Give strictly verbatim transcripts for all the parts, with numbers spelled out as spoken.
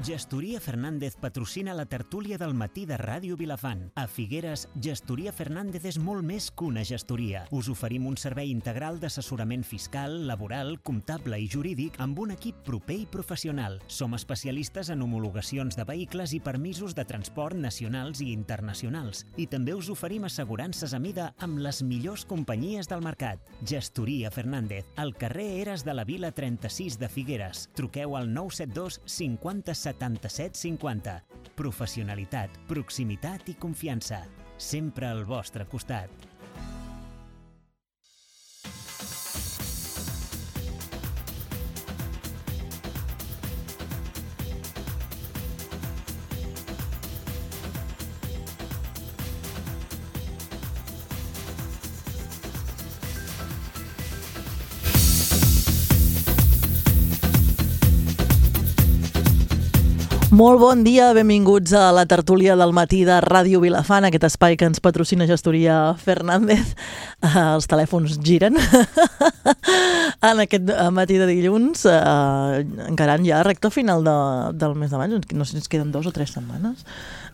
Gestoria Fernández patrocina la tertúlia del matí de Ràdio Vilafant. A Figueres, Gestoria Fernández és molt més que una gestoria. Us oferim un servei integral d'assessorament fiscal, laboral, comptable i jurídic amb un equip proper i professional. Som especialistes en homologacions de vehicles i permisos de transport nacionals i internacionals. I també us oferim assegurances a mida amb les millors companyies del mercat. Gestoria Fernández, al carrer Eres de la Vila trenta-sis de Figueres. Truqueu al nou set dos cinquanta setanta-set cinquanta. Professionalitat, proximitat i confiança. Sempre al vostre costat. Molt bon dia, benvinguts a la tertúlia del matí de Ràdio Vilafant, aquest espai que ens patrocina Gestoria Fernández. Els telèfons giren. En aquest matí de dilluns, eh, encarant ja recta final de, del mes de maig, no sé si ens queden dos o tres setmanes.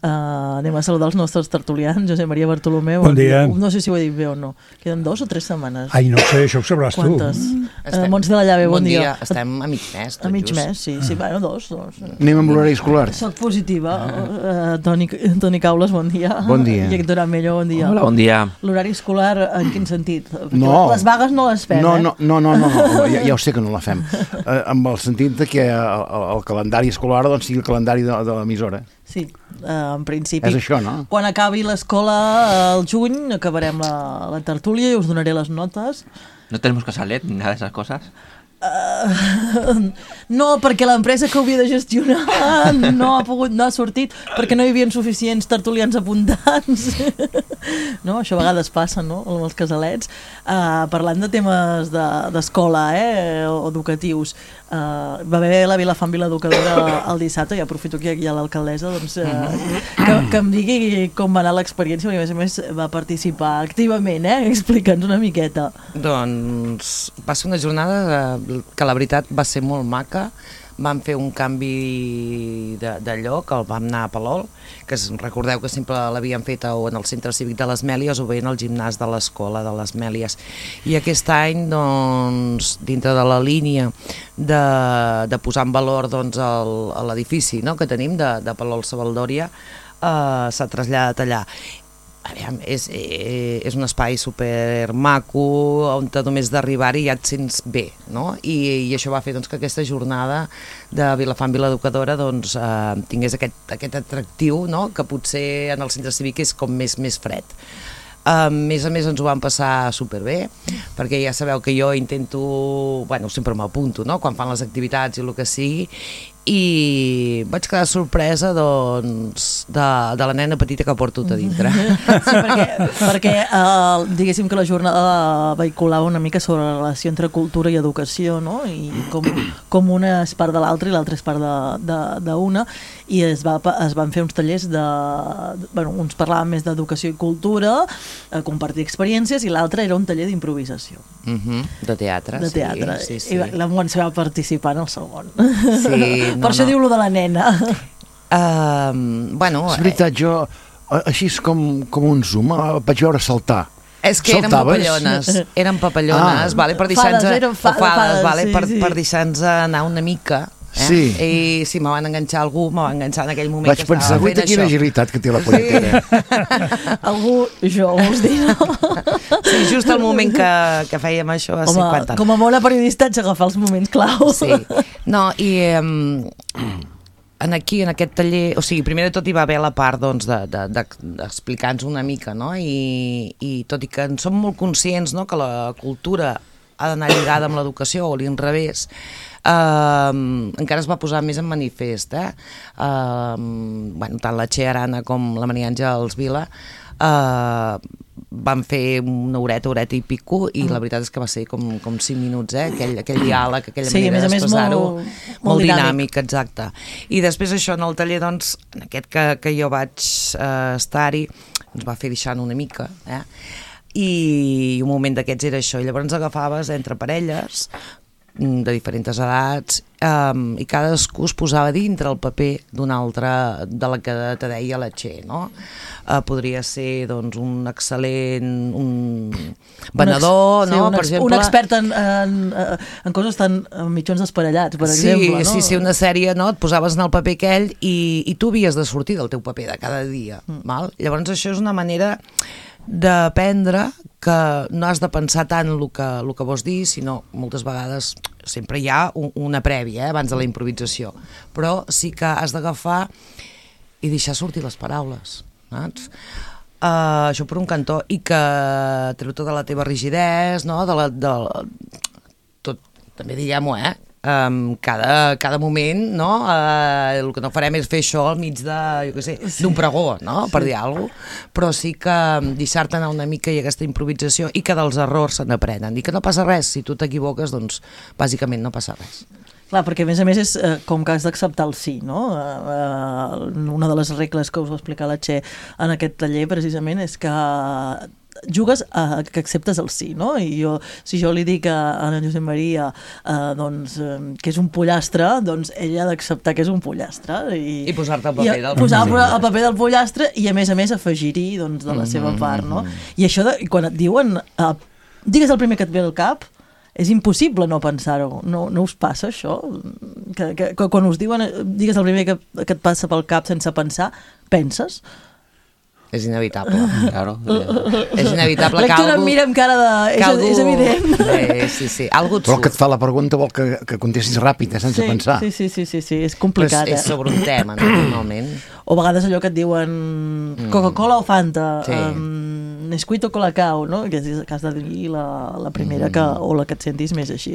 Uh, anem a saludar els nostres tertulians. Josep Maria Bartolomeu, bon dia. No sé si ho he dit bé o no. Queden dos o tres setmanes? Ai, no sé, això ho sabràs tu. Quantes? Uh, Montse de la Llave, bon, bon dia. dia. Estem a mig mes. A mig just. mes, sí. sí. Bueno, dos, dos. Anem amb l'horari escolar. Soc positiva. Uh, Toni, Toni Caules, bon dia. Bon dia. I Héctor Amello, bon dia. Hola, bon dia. L'horari escolar, en quin sentit? Perquè no. Les vagues no les fem, no, eh? No, no, no, no, no. Ja, ja ho sé que no la fem. Uh, amb el sentit de que el, el calendari escolar doncs, sigui el calendari de, de l'emissora. Sí, uh, en principi. És això, no? Quan acabi l'escola al juny, acabarem la, la tertúlia i us donaré les notes. ¿No tenemos casalet ni nada de esas cosas? Uh, no, perquè l'empresa que ho havia de gestionar no ha pogut, no ha sortit perquè no hi havia suficients tertulians apuntats. No, això a vegades passa, no?, amb els casalets. Uh, parlant de temes d'escola, de, eh, o educatius, uh, va haver la Vilafant Vila Educadora el dissabte, i aprofito que hi ha l'alcaldessa, doncs, uh, que, que em digui com va anar l'experiència, perquè a més a més va participar activament, eh? Explica'ns una miqueta. Doncs va ser una jornada que la veritat va ser molt maca. Vam fer un canvi de, de lloc, el vam anar a Palol, que es, recordeu que sempre l'havíem fet o en el centre cívic de les Mèlies o bé en el gimnàs de l'escola de les Mèlies. I aquest any, doncs, dintre de la línia de, de posar en valor doncs, l'edifici, no?, que tenim de, de Palol Savaldòria, eh, s'ha traslladat allà. Aviam, és, és un espai super maco on només d'arribar-hi ja et sents bé, no? I, i això va fer doncs, que aquesta jornada de Vilafant Vila Educadora doncs, eh, tingués aquest, aquest atractiu, no?, que potser en el centre cívic és com més, més fred. A més a més ens ho vam passar superbé, perquè ja sabeu que jo intento, bueno, sempre m'apunto, no?, quan fan les activitats i el que sigui, i vaig quedar sorpresa doncs, de, de la nena petita que porto a dintre. Sí, perquè, perquè uh, diguéssim que la jornada vehiculava una mica sobre la relació entre cultura i educació, no?, i com, com una és part de l'altra i l'altra és part d'una, i es, va, es van fer uns tallers de, bueno, uns parlaven més d'educació i cultura, a compartir experiències, i l'altre era un taller d'improvisació. Uh -huh. De teatre, de teatre. Sí, sí, sí. I la Montse va participar en el segon. Sí, no, per això no. Diu-lo de la nena. Uh, bueno, és veritat, jo, així com, com un zoom, vaig veure saltar. És que eren papallones, eren papallones, ah. vale, per deixar-nos fades, fades, fades, vale, sí, per, sí. per deixar-nos anar una mica. Eh? Sí. I sí, me van enganxar algú, me van enganxar en aquell moment vaig que estava pensar, fent això. quina agilitat que té la punyetera. Sí. Algú, jo, vols dir, no? Sí, just al moment que, que fèiem això va ser quan tant. Com a bona periodista haig d'agafar els moments clau. Sí, no, i um, en aquí, en aquest taller, o sigui, primer de tot hi va haver la part doncs, d'explicar-nos de, de, una mica, no? I, i tot i que en som molt conscients, no?, que la cultura ha d'anar lligada amb l'educació o l'inrevés, Uh, encara es va posar més en manifest, eh? uh, bueno, tant la Txell Arana com la Maria Àngels Vila uh, van fer una horeta, horeta i pico, i mm. la veritat és que va ser com, com cinc minuts, eh? aquell, aquell diàleg, aquella sí, manera d'expressar-ho, molt, molt, molt dinàmic, dinàmic, exacte. I després això en el taller, doncs, en aquest que, que jo vaig uh, estar-hi, ens va fer deixant una mica, eh? I un moment d'aquests era això, i llavors agafaves entre parelles de diferents edats, um, i cadascú es posava dintre el paper d'un altre de la que te deia la Txell, no? Uh, podria ser doncs, un excel·lent un venedor, un ex, no? Sí, un, per ex, exemple, un expert en, en, en coses tan en mitjons desparellats, per sí, exemple. No? Sí, sí, una sèrie, no? Et posaves en el paper aquell i, i tu havies de sortir del teu paper de cada dia. Mm. Val? Llavors això és una manera d'aprendre que no has de pensar tant el que, el que vols dir, sinó moltes vegades sempre hi ha un, una prèvia eh, abans de la improvisació, però sí que has d'agafar i deixar sortir les paraules, saps? Uh, això per un cantó, i que treu tota la teva rigidesa, no? De la, de, tot, també diguem-ho, eh? Um, cada, cada moment, no? Uh, el que no farem és fer això al mig de, jo què sé, d'un pregó, no? Per dir alguna cosa, però sí que deixar-te anar una mica i aquesta improvisació, i que dels errors se n'aprenen, i que no passa res, si tu t'equivoques, doncs bàsicament no passa res. Clar, perquè a més a més és eh, com que has d'acceptar el sí, no? Eh, eh, una de les regles que us va explicar la Txell en aquest taller precisament és que jugues a que acceptes el sí, no? I jo, si jo li dic a, a en Josep Maria eh, doncs, eh, que és un pollastre, doncs ella ha d'acceptar que és un pollastre. I, I posar-te el paper del pollastre. Posar el paper del pollastre i a més a més afegir-hi doncs, de la mm-hmm. seva part, no? I això, de, quan et diuen eh, digues el primer que et ve al cap, és impossible no pensar-ho. No, no us passa això? Que, que, que quan us diuen digues el primer que, que et passa pel cap sense pensar, penses? És inevitable. Claro. És inevitable que Lectura algú... em mira amb cara de... És, algú... és evident. Eh, sí, sí. Algú et Però surt. que et fa la pregunta vol que, que contestis ràpid, eh, sense sí, pensar. Sí, sí, sí, sí, sí, és complicat. Però és, és sobre un tema, no, normalment. O a vegades allò que et diuen Coca-Cola o Fanta, Sí. um, Nesquik o Colacao, no? Que, és, que has de dir la, la primera que, o la que et sentis més així.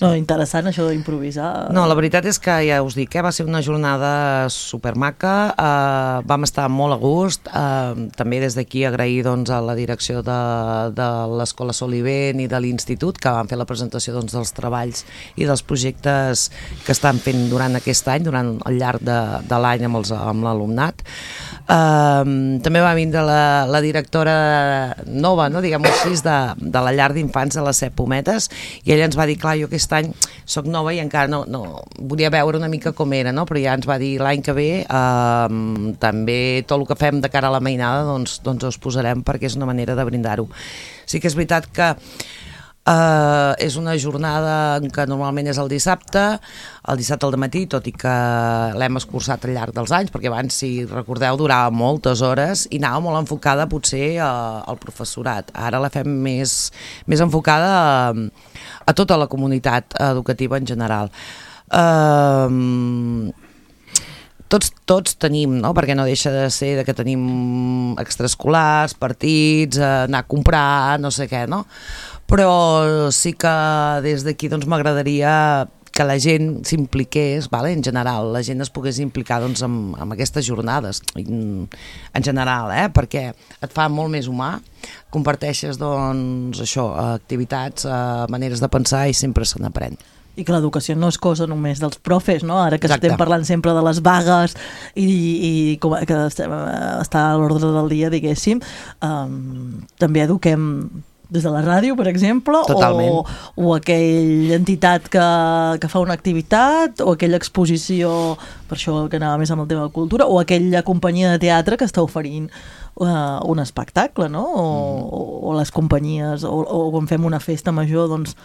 No, interessant això d'improvisar. No, la veritat és que ja us dic, eh, va ser una jornada supermaca, eh, vam estar molt a gust, eh, també des d'aquí agrair doncs, a la direcció de, de l'Escola Solivent i de l'Institut, que van fer la presentació doncs, dels treballs i dels projectes que estan fent durant aquest any, durant el llarg de, de l'any amb, els, amb l'alumnat. Uh, també va vindre la, la directora nova, no, diguem-ho així, de, de la llar d'infants de les Set Pometes, i ella ens va dir, clar, jo aquest any soc nova i encara no, no volia veure una mica com era, no? Però ja ens va dir l'any que ve uh, també tot el que fem de cara a la mainada doncs, doncs us posarem, perquè és una manera de brindar-ho. Sí que és veritat que Uh, és una jornada que normalment és el dissabte, el dissabte al matí, tot i que l'hem escurçat al llarg dels anys, perquè abans, si recordeu, durava moltes hores i anava molt enfocada potser uh, al professorat. Ara la fem més, més enfocada a, a tota la comunitat educativa en general. Uh, Tots, tots tenim, no? Perquè no deixa de ser de que tenim extraescolars, partits, anar a comprar, no sé què, no? Però sí que des d'aquí doncs, m'agradaria que la gent s'impliqués, vale? En general, la gent es pogués implicar doncs, amb, amb aquestes jornades, en, en general, eh? Perquè et fa molt més humà, comparteixes doncs, això, activitats, maneres de pensar i sempre se n'aprèn. I que l'educació no és cosa només dels profes, no? Ara que Exacte. Estem parlant sempre de les vagues i, i com, que estem, està a l'ordre del dia, diguéssim, um, també eduquem des de la ràdio, per exemple, o, o aquella entitat que, que fa una activitat, o aquella exposició, per això que anava més amb el tema de cultura, o aquella companyia de teatre que està oferint uh, un espectacle, no? O, mm. o, o les companyies, o, o quan fem una festa major, doncs,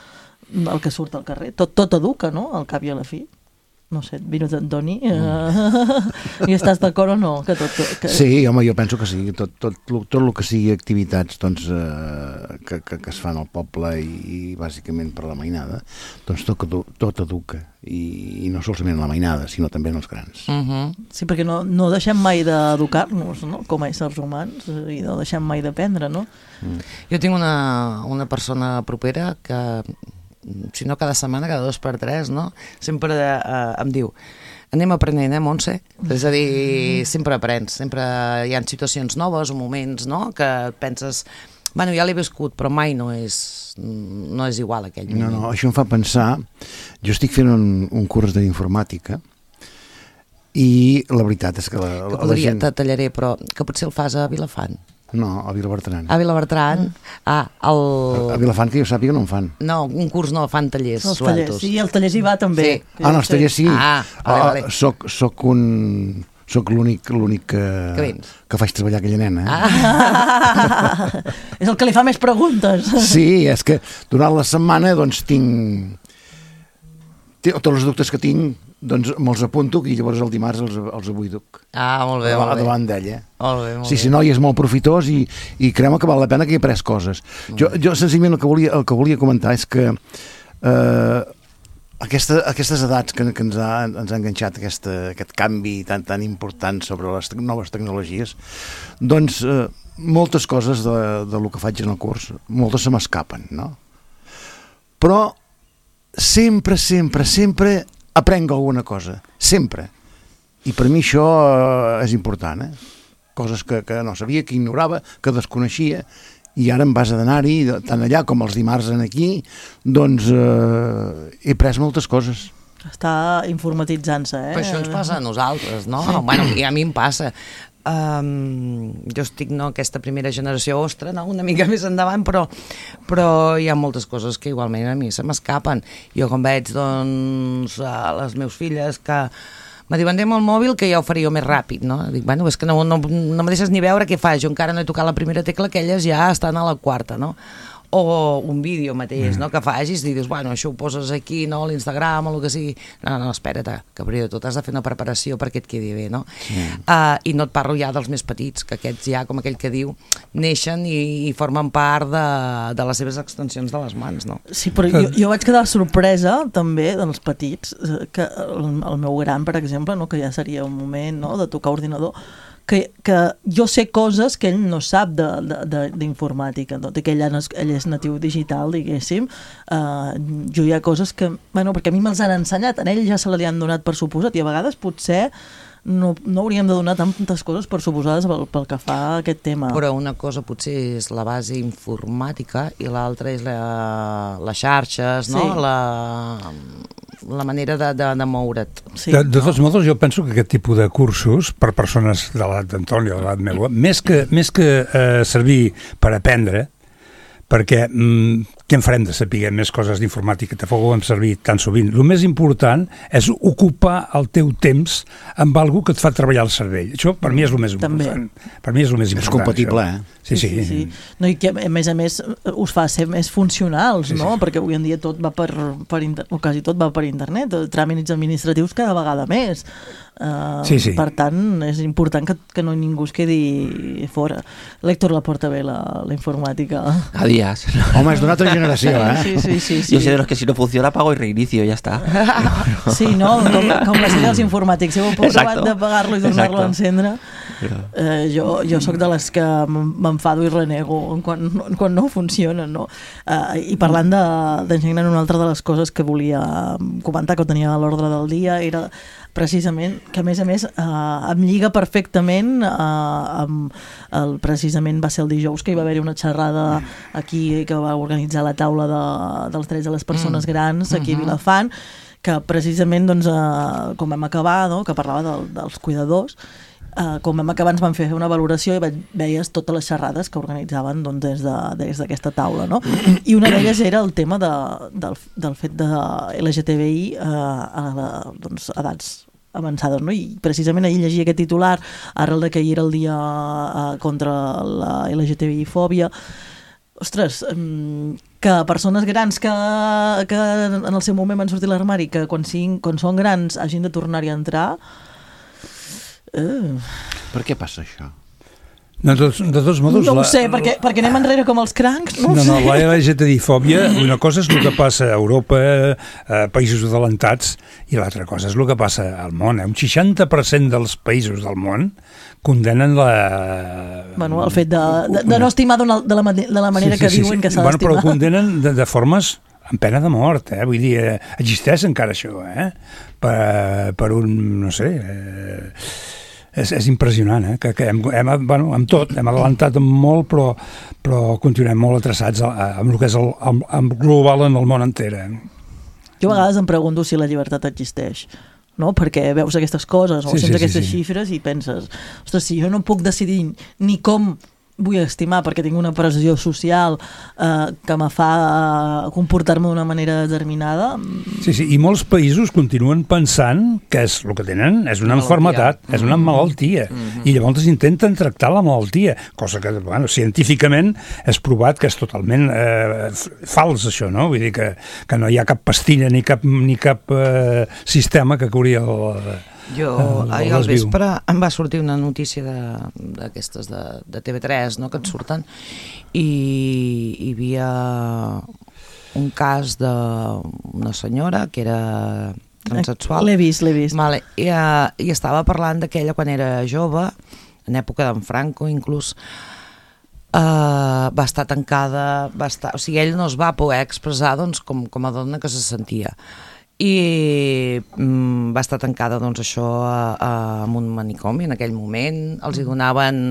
el que surt al carrer. Tot, tot educa, no?, al cap i a la fi. No sé, Vinus Antoni, mm. uh, i estàs d'acord o no? Que tot, que... Sí, home, jo penso que sí. Tot, tot, tot, tot el que sigui activitats doncs, eh, que, que, que es fan al poble i, i bàsicament per la mainada, doncs tot, tot educa. I, I no solament la mainada, sinó també en els grans. Uh-huh. Sí, perquè no, no deixem mai d'educar-nos, no?, com a éssers humans, i no deixem mai d'aprendre, no? Mm. Jo tinc una, una persona propera que, si no cada setmana, cada dos per tres, no? Sempre eh, em diu, anem aprenent, eh, Montse? És a dir, sempre aprens, sempre hi ha situacions noves o moments, no?, que penses, bueno, ja l'he viscut, però mai no és, no és igual aquell moment. No, no, això em fa pensar, jo estic fent un, un curs d'informàtica i la veritat és que la, Que la podria, gent... te tallaré, però que potser el fas a Vilafant. No, a Vilabertran. A Vilabertran, ah, el... A Vilafant, que jo sàpiga, no en fan. No, un curs no, fan tallers Els tallers, sueltos. sí, el taller hi va també. Sí. Ah, no, els tallers sí. Ah, vale, vale. Ah, soc, soc un... Soc l'únic l'únic que, Que vens. que faig treballar aquella nena. Eh? Ah. És el que li fa més preguntes. Sí, és que durant la setmana doncs tinc... Tots els dubtes que tinc doncs me'ls apunto i llavors el dimarts els, els abuiduc. Ah, molt bé, molt bé. Davant d'ella. Molt bé, molt Sí, bé. sí, noi, és molt profitós i, i creu que val la pena que he après coses. Jo, jo senzillament el que volia, el que volia comentar és que eh, aquesta, aquestes edats que, que ens, ha, ens ha enganxat aquesta, aquest canvi tan, tan important sobre les te noves tecnologies, doncs eh, moltes coses de, de lo que faig en el curs, moltes se m'escapen, no? Però sempre, sempre, sempre aprenc alguna cosa, sempre. I per mi això eh, és important, eh? Coses que, que no sabia, que ignorava, que desconeixia, i ara en base d'anar-hi, tant allà com els dimarts en aquí, doncs eh, he pres moltes coses. Està informatitzant-se, eh? Però això ens passa a nosaltres, no? Sí. Bueno, i a mi em passa. Um, jo estic, no, aquesta primera generació ostra, no? Una mica més endavant, però, però hi ha moltes coses que igualment a mi se m'escapen. Jo quan veig, doncs, a les meus filles que me diuen, anem al mòbil, que ja ho faria més ràpid, no? Dic, bueno, és que no, no, no me deixes ni veure què fas, jo encara no he tocat la primera tecla, que elles ja estan a la quarta, no? O un vídeo mateix, no?, que facis i dius, bueno, això ho poses aquí, no?, a l'Instagram o el que sigui. No, no, no, espera't, que primer de tot has de fer una preparació perquè et quedi bé, no? Sí. Uh, I no et parlo ja dels més petits, que aquests ja, com aquell que diu, neixen i, i formen part de, de les seves extensions de les mans, no? Sí, però jo, jo vaig quedar sorpresa també dels petits, que el, el meu gran, per exemple, no, que ja seria un moment, no?, de tocar ordinador, que, que jo sé coses que ell no sap d'informàtica, tot i que ell, ell és natiu digital, diguéssim. Uh, jo hi ha coses que, bueno, perquè a mi me'ls han ensenyat, a ell ja se li han donat per suposat, i a vegades potser no, no hauríem de donar tantes coses per suposades pel, pel que fa a aquest tema. Però una cosa potser és la base informàtica i l'altra és la, les xarxes, no? Sí. La, la manera de, de, de moure't. Sí. De, de tots modos, jo penso que aquest tipus de cursos per persones de l'edat d'Antoni o de l'edat meva, més que, més que eh, servir per aprendre, perquè mm, què en farem de saber més coses d'informàtica, tampoc ho hem servit tan sovint. El més important és ocupar el teu temps amb algú que et fa treballar el cervell. Això per mi és el més També. important. Per mi és el més important. És compatible, això. eh? Sí, sí. sí, sí. No, i que a més a més us fa ser més funcionals, Sí, no? sí. Perquè avui en dia tot va per, per inter... o quasi tot va per internet, tràmits administratius cada vegada més. Uh, Sí, sí. Per tant, és important que, que no ningú es quedi fora. L'Héctor la porta bé, la, la informàtica. A días. Home, és d'una altra generació, eh? Sí, sí, sí, sí. Yo soy de los que si no funciona apago y reinicio y ya está. Sí, no? Com, com la sèrie dels informàtics. Si heu provat Exacto. d'apagar-lo i tornar-lo a Exacto. encendre. Eh, jo, jo sóc de les que m'enfado i renego quan, quan no funciona, no? Eh, I parlant d'enginyer, una altra de les coses que volia comentar, que ho tenia a l'ordre del dia, era precisament que a més a més eh, em lliga perfectament eh, amb el, precisament va ser el dijous que hi va haver una xerrada aquí que va organitzar la taula de, dels drets de les persones Mm. grans aquí a Vilafant, que precisament doncs, eh, com vam acabar, no? Que parlava del, dels cuidadors. Uh, com vam acabar ens van fer una valoració i ve- veies totes les xerrades que organitzaven doncs, des de- des d'aquesta taula, no? I una d'elles era el tema de, del, del fet de L G T B I uh, a la, doncs, edats avançades, no? I precisament ahir llegia aquest titular arrel de que ahir era el dia uh, contra la L G T B I-fòbia. Ostres, um, que persones grans que, que en el seu moment van sortir a l'armari, que quan, siguin, quan són grans hagin de tornar-hi a entrar. Uh. Per què passa això? No, de, tots, de tots modos... No ho la- sé, perquè, perquè anem enrere com els crancs, no ho No, no, sé. la L G T B-fòbia, una cosa és el que passa a Europa, a països adelantats, i l'altra cosa és el que passa al món. Eh? Un seixanta per cent dels països del món condenen la... Bueno, el fet de, de, de no estimar d'una- de, la, mane- de la manera que diuen que s'ha bueno, però d'estimar. condenen de, de formes amb pena de mort, eh? Vull dir, eh, existeix encara això, eh? Per, per un, no sé... Eh, és, és impressionant, eh? Que, que hem, hem, bueno, amb tot, hem adelantat molt, però, però continuem molt atreçats amb el que és el, el, el global en el món enter. Eh? Jo a vegades em pregunto si la llibertat existeix. no? Perquè veus aquestes coses o Sí, sents sí, sí, aquestes sí. xifres i penses, ostres, si jo no puc decidir ni com vull estimar perquè tinc una pressió social eh, que me fa eh, comportar-me d'una manera determinada. Sí, sí, i molts països continuen pensant que és el que tenen és una malaltia. Malaltia, és una malaltia, mm-hmm. i llavors intenten tractar la malaltia, cosa que, bueno, científicament és provat que és totalment eh, fals, això, no? Vull dir que, que no hi ha cap pastilla ni cap, ni cap eh, sistema que curi el... Jo, el, ahir el al desviu. vespre em va sortir una notícia d'aquestes de, de, de T V tres, no?, que et surten, i hi havia un cas d'una senyora que era transsexual. L'he vist, l'he vist. Vale, i, uh, i estava parlant d'aquella quan era jove, en època d'en Franco inclús, uh, va estar tancada, va estar, o sigui, ell no es va poder expressar doncs, com, com a dona que se sentia. I mm, va estar tancada doncs això a, a, en un manicomi en aquell moment, els hi donaven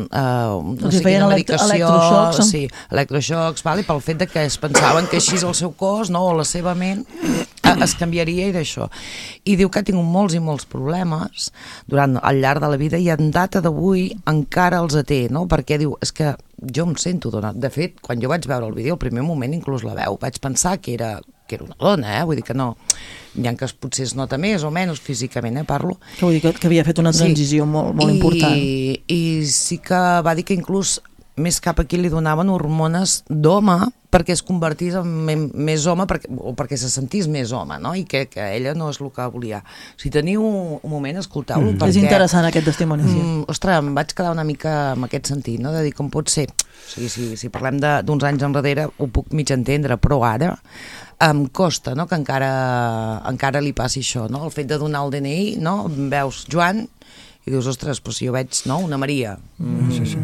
eh, no els sé quina medicació, electroxocs, sí, electroxocs, vale, pel fet de que es pensaven que així el seu cos, no, o la seva ment eh, es canviaria i d'això. I diu que ha tingut molts i molts problemes durant al llarg de la vida i en data d'avui encara els té, no? Perquè diu, és que jo em sento dona. De fet, quan jo vaig veure el vídeo, al primer moment inclús la veu, vaig pensar que era que era una dona, eh? Vull dir que no, ja que potser es nota més o menys físicament, eh, parlo. Que vull dir que, que havia fet una transició sí. molt, molt I, important. I sí que va dir que inclús més cap aquí li donaven hormones d'home perquè es convertís en més home perquè, o perquè se sentís més home, no? I que, que ella no és el que volia. Si teniu un, un moment, escolteu-lo, mm. perquè... És interessant aquest testimoni, sí. Mm, ostres, em vaig quedar una mica en aquest sentit, no? De dir com pot ser. O sigui, si, si parlem d'uns anys enrere ho puc mig entendre, però ara em costa, no?, que encara, encara li passi això, no? El fet de donar el D N I, no? Veus Joan i dius, ostres, però si jo veig, no?, una Maria. Mm. Sí, sí.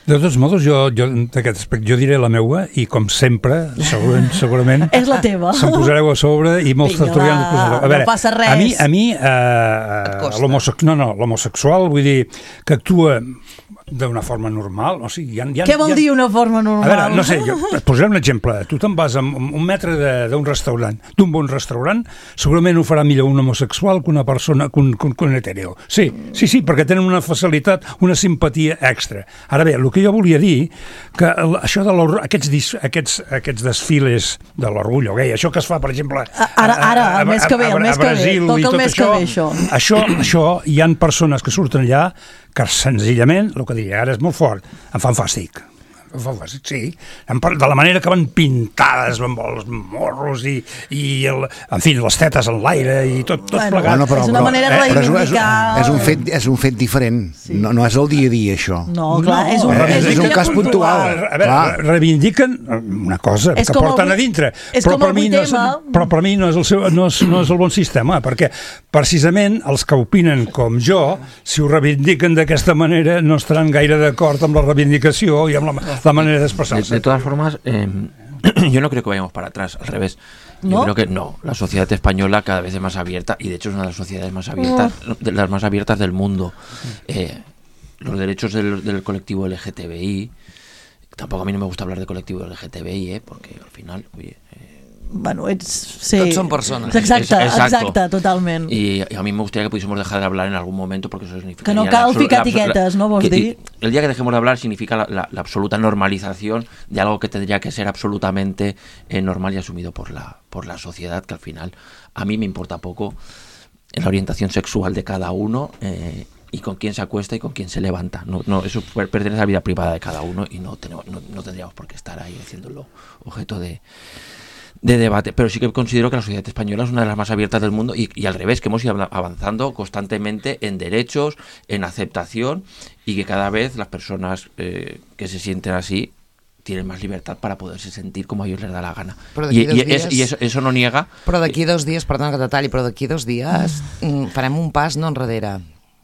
De tots modos, jo, jo d'aquest aspecte, jo diré la meua i com sempre, segurament, segurament és la teva. se'm posareu a sobre i molts tertulians posaran. A veure, no passa res. A mi, a mi eh, l'homosexual, no, no, l'homosexual, vull dir, que actua d'una forma normal, o sigui, hi ha, hi ha, què vol hi ha... dir una forma normal? A veure, no sé, jo, et posaré un exemple. Tu te'n vas a un metre d'un restaurant, d'un bon restaurant, segurament ho farà millor un homosexual que una persona, que un, que un hetero. Sí, sí, sí, perquè tenen una facilitat, una simpatia extra. Ara bé, el que jo volia dir, que això de aquests, aquests, aquests desfiles de l'orgull gay, això que es fa, per exemple... Ara, ara, el mes que ve, el mes que ve, toca el mes que ve, això. Això, això, hi ha persones que surten allà que senzillament, el que diria ara és molt fort, em fan fàstic. Em fan fàstic, sí. De la manera que van pintades amb els morros i, i el, en fi, les tetes en l'aire i tot, tot bueno, plegat. Bueno, però, és una però, manera de reivindicar... Eh, és, un, és, un fet, és un fet diferent. Sí. No, no és el dia a dia, això. No, clar, no, és un, és, és és un cas puntual. A veure, clar. Reivindiquen una cosa és que porten el, a dintre, però per, mi no és, però per mi no és, el seu, no, és, no és el bon sistema, perquè precisament els que opinen com jo, si ho reivindiquen d'aquesta manera, no estaran gaire d'acord amb la reivindicació i amb la, la manera d'expressar-se. De, de todas formas, eh, yo no creo que vayamos para atrás, al revés. ¿No? Yo creo que no. La sociedad española cada vez es más abierta y de hecho es una de las sociedades más abiertas, oh. de las más abiertas del mundo. Eh, los derechos del, del colectivo L G T B I, tampoco a mí no me gusta hablar de colectivo L G T B I, eh, porque al final, oye... Eh, Bueno, ets... Sí. Tots són persones. Exacte, exacte, totalment. Y, y a mí me gustaría que pudiésemos dejar de hablar en algún momento porque eso significa... Que no cal ficar etiquetes, ¿no? Vols dir? El día que dejemos de hablar significa la, la, la absoluta normalización de algo que tendría que ser absolutamente eh, normal y asumido por la, por la sociedad, que al final a mí me importa poco la orientación sexual de cada uno eh, y con quién se acuesta y con quién se levanta. No, no, eso pertenece a la vida privada de cada uno y no, tenemos, no, no tendríamos por qué estar ahí haciéndolo objeto de... de debate, pero sí que considero que la sociedad española es una de las más abiertas del mundo y, y al revés, que hemos ido avanzando constantemente en derechos, en aceptación y que cada vez las personas eh, que se sienten así tienen más libertad para poderse sentir como a ellos les da la gana. I, i, dies, i eso, eso no niega... Però d'aquí dos dies, perdona que detalli, però d'aquí dos dies mm, farem un pas no enrere.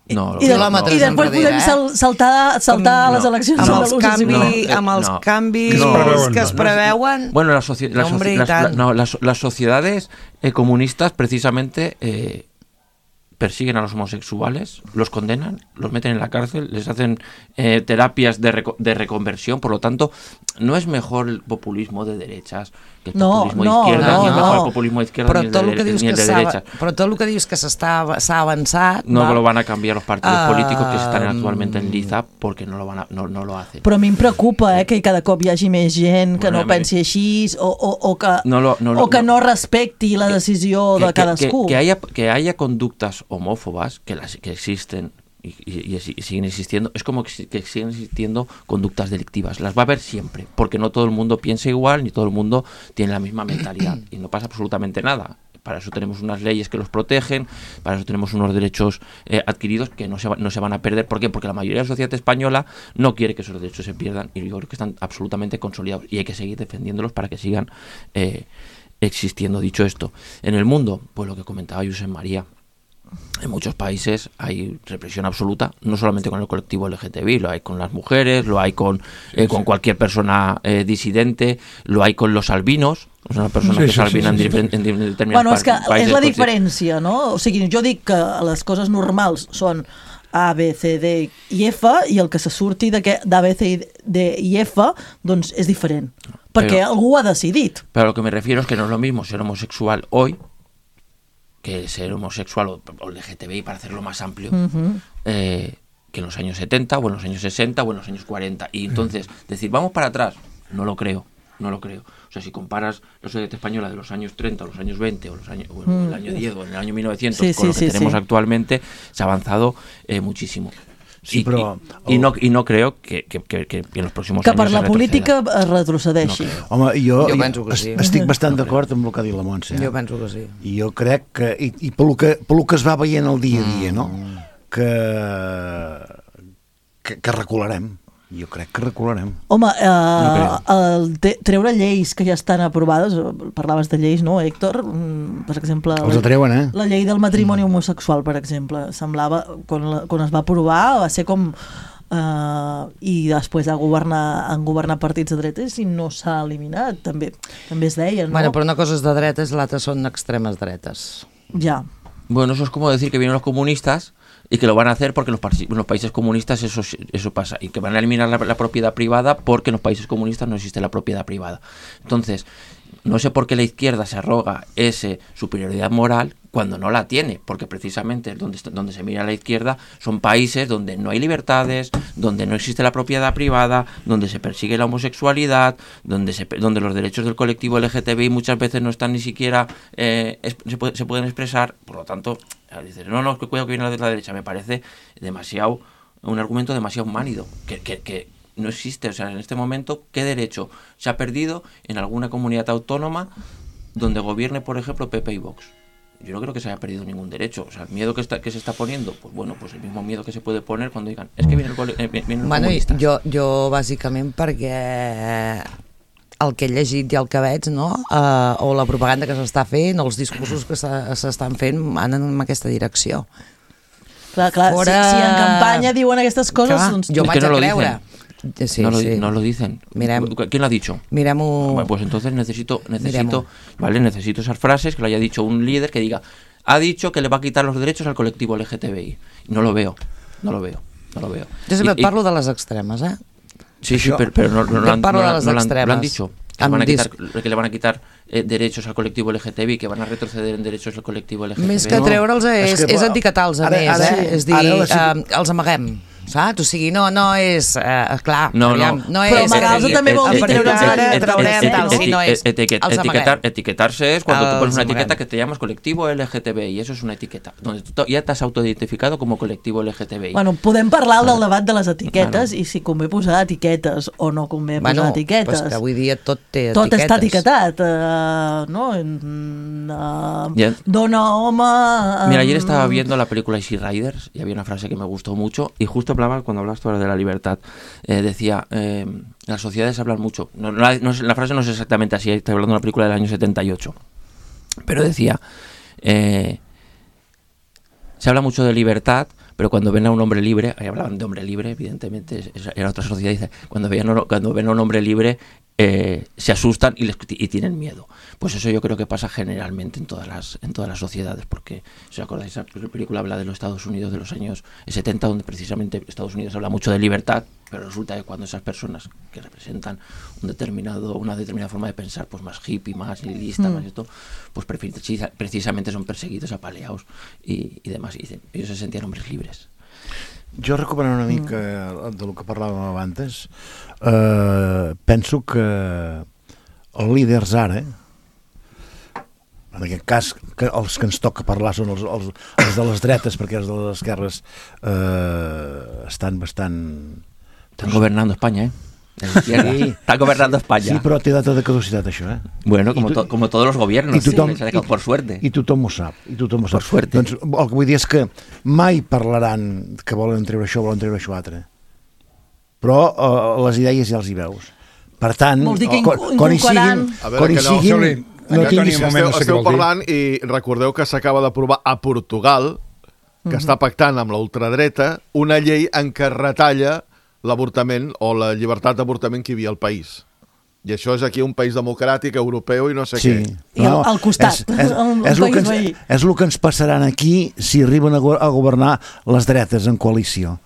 No, I, de, no, i després podem eh? saltar, saltar no, les eleccions amb els, andaluses. canvi, no, amb els no, canvis no, que es preveuen... Bueno, las, soci las, soci las, la, no, las, las sociedades eh, comunistas precisamente eh, persiguen a los homosexuales, los condenan, los meten en la cárcel, les hacen eh, terapias de, reco de reconversión. Por lo tanto, no es mejor el populismo de derechas que el no, populismo no, de izquierda, no, ni el no. mejor el populismo de izquierda però ni el tot de, el que dius ni el que de s'ha derechas. però tot el que dius que s'està s'ha avançat No va, lo van a cambiar los partidos uh, políticos que están actualmente en liza porque no lo, van a, no, no lo hacen. Però a mi em preocupa eh, que cada cop hi hagi més gent que Bueno, no pensi així o, o, o que, No lo- no lo- o que no. no respecti la decisió que, de que- cadascú. Que, que haya, que haya conductas homófobas que, las, que existen y, y, y siguen existiendo, es como que, que siguen existiendo conductas delictivas. Las va a haber siempre, porque no todo el mundo piensa igual, ni todo el mundo tiene la misma mentalidad y no pasa absolutamente nada. Para eso tenemos unas leyes que los protegen, para eso tenemos unos derechos eh, adquiridos que no se, va, no se van a perder. ¿Por qué? Porque la mayoría de la sociedad española no quiere que esos derechos se pierdan y yo creo que están absolutamente consolidados y hay que seguir defendiéndolos para que sigan eh, existiendo. Dicho esto, en el mundo, pues lo que comentaba Josep María, en muchos países hay represión absoluta, no solamente con el colectivo L G T B I, lo hay con las mujeres, lo hay con, eh, con cualquier persona eh, disidente, lo hay con los albinos, es una persona Sí, que sí, es albina sí, sí, en, sí. en, en determinados Bueno, és que países. és la consi- diferència, no? O sigui, jo dic que les coses normals són A, B, C, D i F i el que se surti d'A, B, C, D i F doncs és diferent. Perquè Però- algú ha decidit. Pero a lo que me refiero es que no es lo mismo ser homosexual hoy que ser homosexual o, o L G T B I, para hacerlo más amplio, Uh-huh. eh, que en los años setenta o en los años sesenta o en los años cuarenta. Y entonces, decir, vamos para atrás, no lo creo, no lo creo. O sea, si comparas la sociedad española de los años treinta o los años veinte o los años, o en el año diez o en el año mil novecientos Sí, con sí, lo que sí, tenemos sí. actualmente, se ha avanzado eh, muchísimo. Sí, y, però- y, y no, y no creo que, que, que, que en los próximos Que años per se la retroceda. política es retrocedeixi. No creo. Home, jo, Jo penso que es- sí. estic bastant No d'acord amb el que ha dit la Montse. Eh? jo penso que sí. I jo crec que, i, i pel, que, pel que es va veient el dia a dia, no? Que, que, que recularem. Jo crec que recularem. Home, eh, No el te, treure lleis que ja estan aprovades, parlaves de lleis, no, Héctor? Mm, Per exemple... Els atreuen, eh? La llei del matrimoni homosexual, per exemple, semblava, quan, la, quan es va aprovar, va ser com... Uh, i després a governar, han governat partits de dretes i no s'ha eliminat, també també es deia, no? Bueno, però una cosa és de dretes, l'altra són extremes dretes. Ja. Bueno, eso es como decir que vienen los comunistas y que lo van a hacer porque en los, pa en los países comunistas eso, eso pasa, y que van a eliminar la, la propiedad privada porque en los países comunistas no existe la propiedad privada. Entonces, no sé por qué la izquierda se arroga esa superioridad moral cuando no la tiene, porque precisamente donde, donde se mira a la izquierda son países donde no hay libertades, donde no existe la propiedad privada, donde se persigue la homosexualidad, donde, se, donde los derechos del colectivo L G T B I muchas veces no están ni siquiera, eh, es, se, puede, se pueden expresar. Por lo tanto, dices, no, no, que cuidado que viene la de la derecha, me parece demasiado, un argumento demasiado mánido, que, que, que no existe. O sea, en este momento, ¿qué derecho se ha perdido en alguna comunidad autónoma donde gobierne, por ejemplo, P P y Vox? Yo no creo que se haya perdido ningún derecho. O sea, el miedo que, está, que se está poniendo, pues bueno, pues el mismo miedo que se puede poner cuando digan, es que vienen, el, eh, vienen los Bueno, comunistas. jo, jo bàsicament perquè el que he llegit i el que veig, no? Uh, o la propaganda que s'està fent, o els discursos que s'estan fent anen en aquesta direcció. Clar, clar, Fora- si, si en campanya diuen aquestes coses, Clar, doncs... jo Es vaig que no a lo creure. dicen. Sí, no, lo, sí. no lo dicen. Mirem. ¿Quién lo ha dicho? Mirem-ho... Bueno, pues entonces necesito, necesito, Miremos. vale, necesito esas frases que lo haya dicho un líder que diga, ha dicho que le va a quitar los derechos al colectivo L G T B I. No lo veo, no lo veo, no lo veo. Jo sempre Y- et parlo de les extremes, eh? Sí, sí, Això- pero, pero no, no, Jo lo han, parlo no, de lo- les no lo han- extremes. lo han dicho. Que, Amb van a quitar, dis- que le van a quitar eh, derechos al colectivo L G T B I, que van a retroceder en derechos al colectivo L G T B I. Més que No, treure'ls és, és que, és però, etiquetar-los a ara- més, ara- eh? És dir, ara la situ- eh, els amaguem, saps? O sigui, no, no és... Eh, clar, No, no. aviam, no Però és... amagar-los que- també vol dir a partir treure'ls d'ara el- traurem el- tal, el- si no és... Etiquet- els etiquetar, amaguem. etiquetarse es cuando tú Els pones una amaguem. etiqueta que te llamas colectivo L G T B I, y eso es una etiqueta, donde tú ya te has autoidentificado como colectivo L G T B I. Bueno, podem parlar del debat de les etiquetes Claro. i si convé posar etiquetes o no convé Bueno, posar etiquetes. pues que avui dia tot té Tot etiquetes. està etiquetat, eh, no? Mm, eh, Ya. dona, home... eh, Mira, ayer estaba viendo la película Easy Riders y había una frase que me gustó mucho y justo hablaba, cuando hablas tú ahora de la libertad, eh, decía, eh, las sociedades hablan mucho. No, no, la, no, la frase no es exactamente así, estoy hablando de una película del año setenta y ocho, pero decía, eh, se habla mucho de libertad, pero cuando ven a un hombre libre, ahí hablaban de hombre libre, evidentemente, es- era otra sociedad, dice, cuando, veían, cuando ven a un hombre libre, eh, se asustan y, les, y tienen miedo. Pues eso yo creo que pasa generalmente en todas las, en todas las sociedades, porque, si os acordáis, esa película habla de los Estados Unidos de los años setenta, donde precisamente Estados Unidos habla mucho de libertad, pero resulta que cuando esas personas que representan un determinado, una determinada forma de pensar, pues más hippie, más nihilista, mm. más esto, pues precisamente son perseguidos, apaleados y, y demás. Y dicen, ellos se sentían hombres libres. Jo, recuperant una mica del que parlàvem abans, eh, penso que els líders ara, en aquest cas que els que ens toca parlar són els, els, els de les dretes, perquè els de les esquerres eh, estan bastant... Estan governant Espanya, eh? Sí. Está gobernando España. Sí, però té data de caducitat, això, eh? Bueno, como, to, como todos los gobiernos, i tothom, sí, i, por suerte. I tothom ho sap, i tothom ho sap. Per suerte. Doncs el que vull dir és que mai parlaran que volen treure això, volen treure això altre. Però uh, les idees ja els hi veus. Per tant, vols dir que quan, quan hi siguin... Quan hi siguin no tinguis... Esteu, esteu parlant i recordeu que s'acaba d'aprovar a Portugal, que mm-hmm. està pactant amb la ultradreta, una llei en què retalla l'avortament o la llibertat d'avortament que hi havia al país. I això és aquí un país democràtic, europeu i no sé sí. què. I al, al costat, és, és, un, és, un el país ens, veí. És el que ens passaran aquí si arriben a, go a governar les dretes en coalició,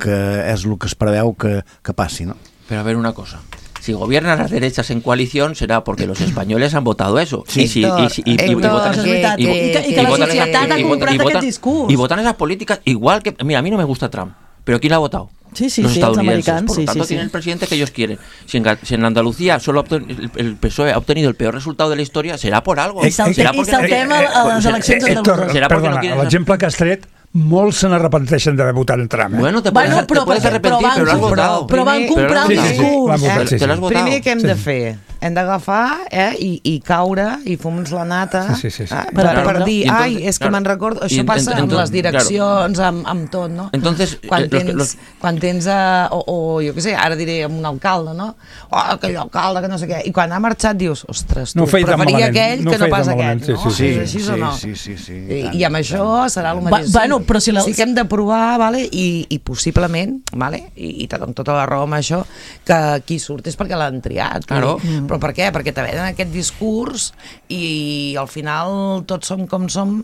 que és el que es preveu que, que passi, no? Pero a ver una cosa. Si gobiernan las derechas en coalición será porque los españoles han votado eso. Sí, y, si, y, si, y, y, y, votan, és veritat, i, i, que, i que la societat ha comprat aquest discurs. Y votan esas políticas igual que... Mira, a mí no me gusta Trump, pero ¿quién la ha votado? Sí, sí, los sí, estadounidenses. Los Por lo sí, tanto, sí, tienen sí. el presidente que ellos quieren. Si en, si en Andalucía solo ha el, el P S O E ha obtenido el peor resultado de la historia, será por algo. I saltem a les eleccions andaluses. Perdona, l'exemple que has tret, molts se n'arrepenteixen d'haver votat en Trump. Eh? Bueno, te puedes, bueno, però, te puedes arrepentir, però, però l'has votat. Però van comprar un discurs. Sí, sí, sí. Te l'has votat. Primer, què hem de fer? Hem d'agafar eh, i, i caure i fumar-nos la nata sí, sí, sí, sí. Eh, per, Claro, per dir, entonces, ai, és que claro. me'n recordo... Això Y, passa entonces, amb les direccions, claro. amb, amb tot, no? Entonces, quan eh, los, tens, los... quan tens uh, o, o jo què sé, ara diré amb un alcalde, no? Oh, aquell alcalde que no sé què. I quan ha marxat dius, ostres, tu no preferia aquell no que no pas aquest, sí, no? sí, sí, és així sí, o no? Sí, sí, sí. I, i amb això serà el mateix. Va, bueno, però si la... Sí que hem de provar, vale? I, i possiblement, vale? I, i amb tota la raó amb això, que qui surt és perquè l'han triat. Claro. Mm. Però per què? Perquè te venen aquest discurs i al final tots som com som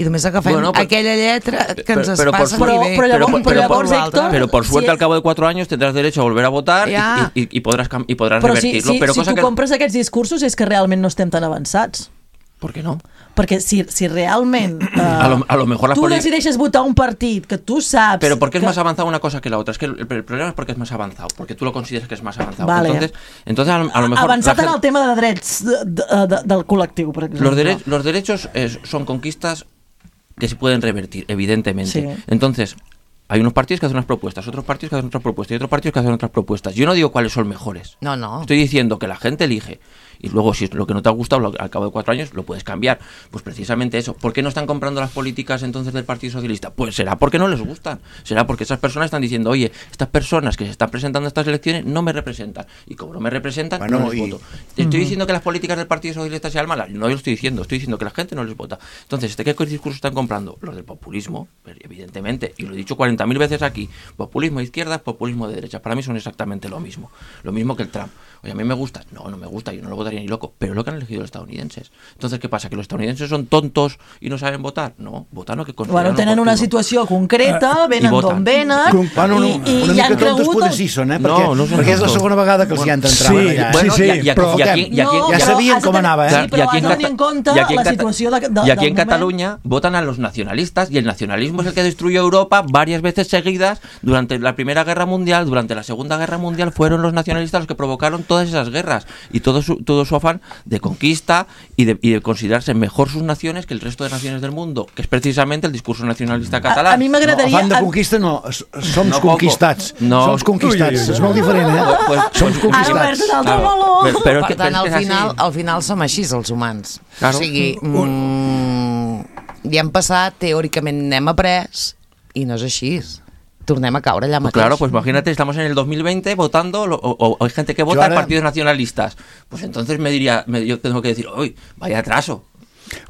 i només agafem bueno, però, aquella lletra que ens es pero, passa pero, bé. Però llavors, pero, però llavors Héctor... Pero por suerte si... al cabo de cuatro años tendrás derecho a volver a votar ja. y, y, y podrás, y podrás però revertirlo. Si, si, pero si cosa tu que... compres aquests discursos és que realment no estem tan avançats. ¿Por qué no? Perquè si, si realment uh, a, lo, a lo mejor tu decideixes votar un partit que tu saps... Pero ¿por qué que... es más avanzado una cosa que la otra? Es que el, el problema es porque es más avanzado, porque tú lo consideras que es más avanzado. Vale. Entonces, entonces a, a lo mejor... Avançat en gente... el tema de drets de, de, de, del col·lectiu, per exemple. Los, dere los derechos eh, son conquistas que se pueden revertir, evidentemente. Sí. Entonces... Hay unos partidos que hacen unas propuestas, otros partidos que hacen otras propuestas y otros partidos que hacen otras propuestas. Yo no digo cuáles son mejores. No, no. Estoy diciendo que la gente elige y luego si es lo que no te ha gustado lo, al cabo de cuatro años lo puedes cambiar. Pues precisamente eso. ¿Por qué no están comprando las políticas entonces del Partido Socialista? Pues será porque no les gustan. Será porque esas personas están diciendo, oye, estas personas que se están presentando a estas elecciones no me representan. Y como no me representan, bueno, no les y... voto. ¿Estoy uh-huh. diciendo que las políticas del Partido Socialista sean malas? No, yo lo estoy diciendo. Estoy diciendo que la gente no les vota. Entonces, ¿qué discursos están comprando? Los del populismo, evidentemente. Y lo he dicho cuarenta mil veces aquí. Populismo de izquierdas, populismo de derecha. Para mí son exactamente lo mismo. Lo mismo que el Trump. Oye, a mí me gusta. No, no me gusta. Yo no lo votaría ni loco. Pero es lo que han elegido los estadounidenses. Entonces, ¿qué pasa? ¿Que los estadounidenses son tontos y no saben votar? No, votan lo que consideran bueno, tenen una situació concreta, venen d'on venen, Com, bueno, no, i, i, una i han mica tontos cregut... potser sí són, eh? Perquè, no, no són perquè és la segona vegada que els bueno, hi han d'entrar. Sí, allà, eh? bueno, sí, sí, i, i, però... I aquí, i aquí, no, ja sabien com anava, eh? Sí, però has de tenir en compte la situació de, de, y aquí en moment. Cataluña votan a los nacionalistas y el nacionalismo es el que destruyó Europa varias veces seguidas. Durante la Primera Guerra Mundial, durante la Segunda Guerra Mundial fueron los nacionalistas los que provocaron todas esas guerras y todo su, todo su afán de conquista y de, y de considerarse mejor sus naciones que el resto de naciones del mundo, que es precisamente el discurso nacionalista catalán. A, a mi m'agradaria... No, afán de conquista no, som no conquistats. No. Som conquistats, és molt diferent, eh? Pues, pues, som conquistats. Ara obert un altre claro. meló. Pero, pero per que, tant, pero al es que final, así. al final som així, els humans. Claro. O sigui, mm, ja hem passat, teòricament n'hem après, i no és així. Tornem a caure allà Pues mateix. claro, pues imagínate, estamos en el dos mil veinte votando, lo, o, o hay gente que vota ahora... en partidos nacionalistas. Pues entonces me diría, me, yo tengo que decir, uy, vaya atraso.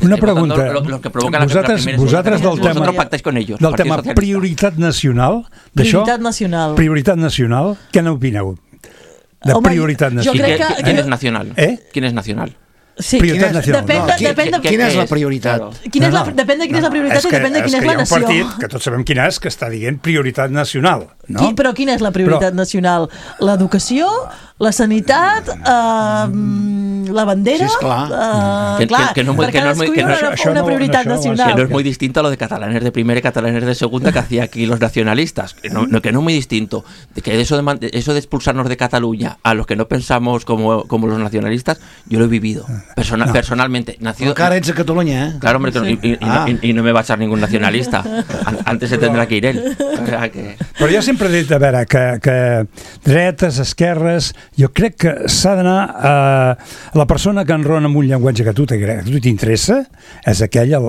Una Estem pregunta. Lo, lo que provoca vosaltres, la, la vosaltres del tema, vosotros pactáis con ellos. del tema prioritat nacional, d'això? Prioritat nacional. Prioritat nacional, què n'opineu? de Home, prioritat jo nacional. crec ¿Quién, que- quién que- es nacional? ¿Eh? ¿Quién es nacional? Sí, Prioritat nacional. depèn, No, de, qui- depèn de, qui- quina és la és? prioritat? Claro. quina és la, depèn de quina és la prioritat i depèn de quina és, que la hi ha un nació. partit, que tots sabem quin és, que està dient prioritat nacional. No? Qui, però quina és la prioritat Però- nacional? L'educació, la sanitat, eh, la bandera... Sí, esclar. Eh, Que- clar, que- que no muy- per que no es muy- cadascú que hi no ha es- una, això una no- prioritat això no va ser- nacional. Que no es muy distinto a lo de catalanes de primera y catalanes de segunda que hacía aquí los nacionalistas. Que no, no, que no es muy distinto. De que eso de, man- eso de expulsarnos de Cataluña a los que no pensamos como, como los nacionalistas, yo lo he vivido persona, No. personalmente. Nacido, Encara ets a Catalunya, eh? Claro, hombre, que no- y, y- y Ah. no, y- y no me va a echar ningún nacionalista. An- Antes se tendrá que ir él. O sea que... Però jo sempre he dit, a veure, que, que dretes, esquerres, jo crec que s'ha d'anar a la persona que enrona amb un llenguatge que a tu t'agrada, que a tu t'interessa, és aquell el,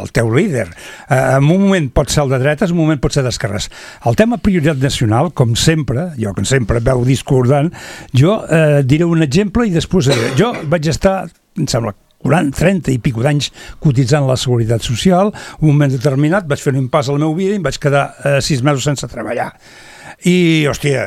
el teu líder. Eh, en un moment pot ser el de dretes, en un moment pot ser d'esquerres. El tema prioritat nacional, com sempre, jo que sempre veu discordant, jo eh, diré un exemple i després diré. Jo vaig estar, em sembla, quaranta, trenta i pico d'anys cotitzant la Seguretat Social, un moment determinat vaig fer un impàs a la meva vida i em vaig quedar eh, sis mesos sense treballar. I, hòstia,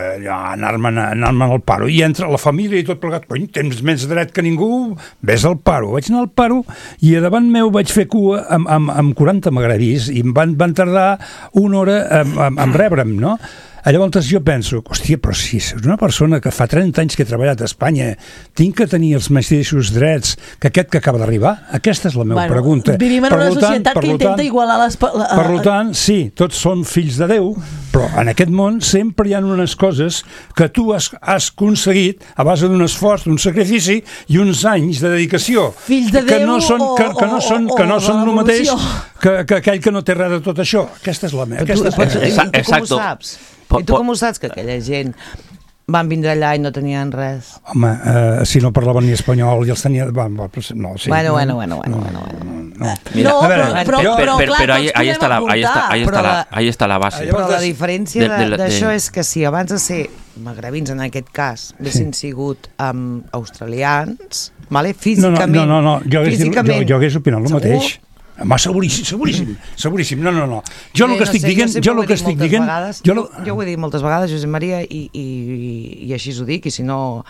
anar-me'n anar al paro. I entre la família i tot plegat, cony, tens més dret que ningú, vés al paro. Vaig anar al paro i a davant meu vaig fer cua amb, amb, amb quaranta magrebis i em van, van tardar una hora en, en, en rebre'm, no? Llavors jo penso, hòstia, però si és una persona que fa trenta anys que he treballat a Espanya, tinc que tenir els mateixos drets que aquest que acaba d'arribar? Aquesta és la meva Bueno, pregunta. vivim en Per una lo tant- societat per que lo intenta tant- igualar les... pa- la- Per tant, sí, tots són fills de Déu, però en aquest món sempre hi ha unes coses que tu has, has aconseguit a base d'un esforç, d'un sacrifici i uns anys de dedicació. Fills de que Déu no són, que, que no o- són, o- que no o són el mateix revolució. que, que aquell que no té res de tot això. Aquesta és la meva. Aquesta és la Però tu, meva. i, i tu com ho Exacto. saps? Po- I tu po- com ho saps que aquella gent van vindre allà i no tenien res? Home, eh, si no parlaven ni espanyol i els tenia... Va, va, no, sí. Bueno, no, bueno, bueno, bueno, no, bueno, no, no. Mira, no, a veure, però, però, jo- però, pero, clar, pero ahí, tots ahí está la, podem ahí está, ahí está Però la, la- ahí está la base. Però la Llavors, diferència de- de- de la- d'això de- és que si abans de ser magrebins, en aquest cas, haguessin sigut um, australians, vale? No, no, físicament... no, no, no. Jo, hagués, dit- jo, físicament, jo hagués opinat el segur? mateix. Home, seguríssim, seguríssim, seguríssim. No, no, no. Jo el Bé, que no estic sé, dient, sempre jo ho el he que dit estic moltes dient... vegades, Jo, jo, lo- jo ho he dit moltes vegades, Josep Maria, i, i, i així ho dic, i si no,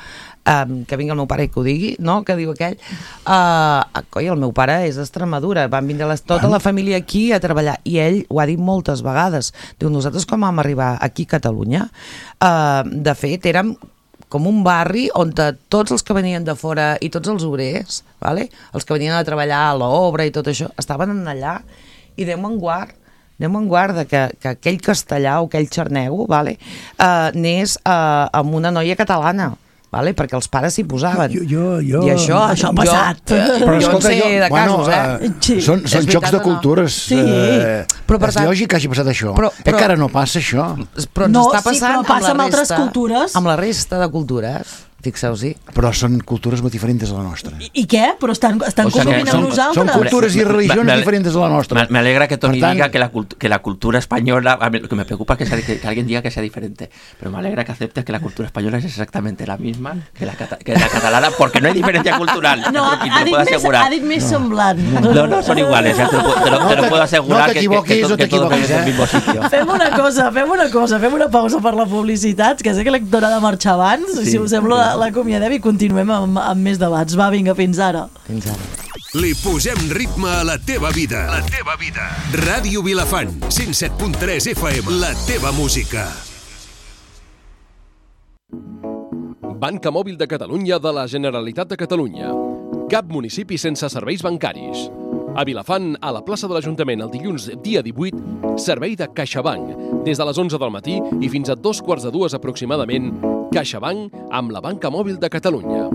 um, que vingui el meu pare i que ho digui, no?, que diu aquell. Uh, coi, el meu pare és d'Extremadura, van vindre les, tota la família aquí a treballar, i ell ho ha dit moltes vegades. Diu, nosaltres com vam arribar aquí a Catalunya, uh, de fet, érem com un barri on tots els que venien de fora i tots els obrers, vale? Els que venien a treballar a l'obra i tot això, estaven allà, i Déu me'n guard, Déu me'n guarda que, que aquell castellà o aquell xarnego, vale? uh, anés uh, amb una noia catalana, vale? Perquè els pares s'hi posaven. Jo, jo, jo... I això, Això ha jo, passat. Però jo escolta, en sé jo- de casos, bueno, eh? Sí. Són, són És jocs veritat de o no? cultures. Sí. Eh, Però, per és tant- lògic que hagi passat això. Però- però- Encara no passa això. Però ens No, està sí, passant però passa amb, la amb altres resta, cultures. amb la resta de cultures. Fixeu-s'hi. Però són cultures molt diferents de la nostra. I, I què? Però estan, estan O sea que convivint són- amb nosaltres. Són cultures i Me- religions me- diferents de la nostra. Me, me alegra que Tony Per tant- diga que la, cult- que la cultura española, a mí lo que me preocupa es que, sea- que, que alguien diga que sea diferente, pero me alegra que aceptes que la cultura española es exactamente la misma que la, cata- que la catalana, porque no hay diferencia cultural, No, te, lo- te ha lo dit puedo més, asegurar. ha dit més semblant. No, no, son iguales, ya te lo, puedo- te lo, No te lo te- puedo asegurar no que, que, que, t'equivoquis, to- no que todos t'equivoquis, vemos el eh? mismo sitio. Fem una cosa, fem una cosa, fem una pausa per la publicitat, que sé que l'Hèctor ha de marxar abans, Sí. si us sembla la- l'acomiadem i continuem amb, amb més debats. Va, vinga, fins ara. Fins ara. Li posem ritme a la teva vida. La teva vida. Ràdio Vilafant, cent set punt tres F M. La teva música. Banca Mòbil de Catalunya de la Generalitat de Catalunya. Cap municipi sense serveis bancaris. A Vilafant, a la plaça de l'Ajuntament, el dilluns dia divuit, servei de CaixaBank. Des de les onze del matí i fins a dos quarts de dues aproximadament, CaixaBank amb la Banca Mòbil de Catalunya.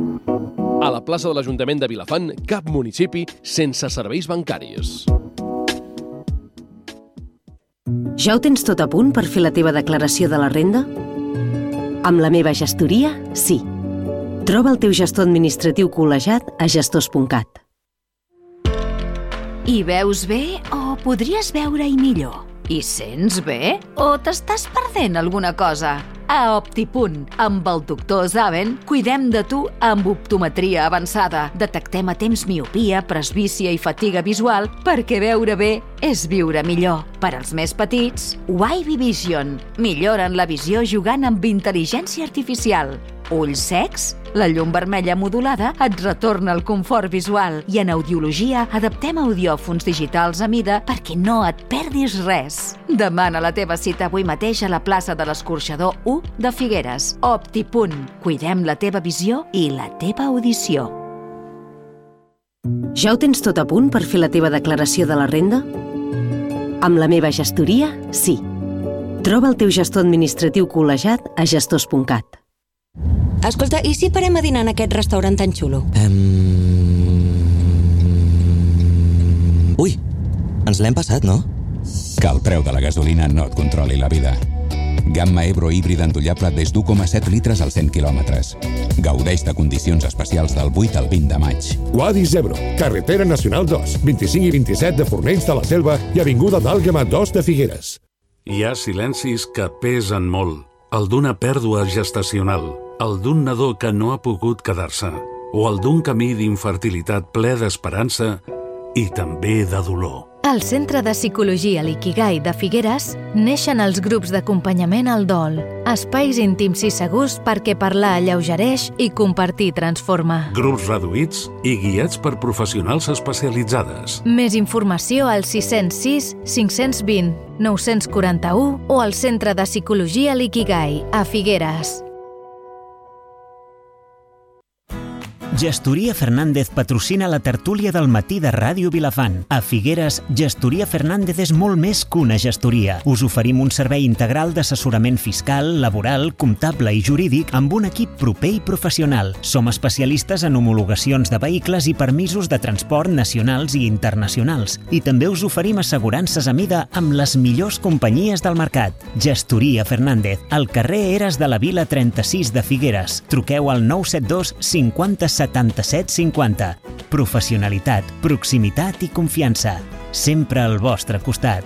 A la plaça de l'Ajuntament de Vilafant, cap municipi sense serveis bancaris. Ja ho tens tot a punt per fer la teva declaració de la renda? Amb la meva gestoria, sí. Troba el teu gestor administratiu col·legiat a gestors punt cat. Hi veus bé o podries veure-hi millor? Hi sents bé o t'estàs perdent alguna cosa? A Optipunt, amb el doctor Zaven, cuidem de tu amb optometria avançada. Detectem a temps miopia, presbícia i fatiga visual perquè veure bé és viure millor. Per als més petits, Wavy Vision. Milloren la visió jugant amb intel·ligència artificial. ulls secs? La llum vermella modulada et retorna el confort visual i en audiologia adaptem audiòfons digitals a mida perquè no et perdis res. Demana la teva cita avui mateix a la plaça de l'Escorxador u de Figueres. Optipunt. Cuidem la teva visió i la teva audició. Ja ho tens tot a punt per fer la teva declaració de la renda? Amb la meva gestoria, sí. Troba el teu gestor administratiu col·legiat a gestors punt cat. Escolta, i si parem a dinar en aquest restaurant tan xulo? Um... Ui, ens l'hem passat, no? Que el preu de la gasolina no et controli la vida. Gamma Ebro híbrida endollable des d'u coma set litres als cent quilòmetres. Gaudeix de condicions especials del vuit al vint de maig. Wadis Ebro, carretera nacional dos, vint-i-cinc i vint-i-set de Fornells de la Selva i avinguda d'Àlguema dos de Figueres. Hi ha silencis que pesen molt. El d'una pèrdua gestacional, el d'un nadó que no ha pogut quedar-se, o el d'un camí d'infertilitat ple d'esperança i també de dolor. Al Centre de Psicologia L'Ikigai de Figueres neixen els grups d'acompanyament al dol, espais íntims i segurs perquè parlar alleugereix i compartir transforma. Grups reduïts i guiats per professionals especialitzades. Més informació al sis zero sis, cinc dos zero, nou quatre u o al Centre de Psicologia L'Ikigai a Figueres. Gestoria Fernández patrocina la tertúlia del matí de Ràdio Vilafant. A Figueres, Gestoria Fernández és molt més que una gestoria. Us oferim un servei integral d'assessorament fiscal, laboral, comptable i jurídic amb un equip proper i professional. Som especialistes en homologacions de vehicles i permisos de transport nacionals i internacionals. I també us oferim assegurances a mida amb les millors companyies del mercat. Gestoria Fernández, al carrer Eres de la Vila trenta-sis de Figueres. Truqueu al nou set dos cinquanta setanta-set cinquanta. Professionalitat, proximitat i confiança. Sempre al vostre costat.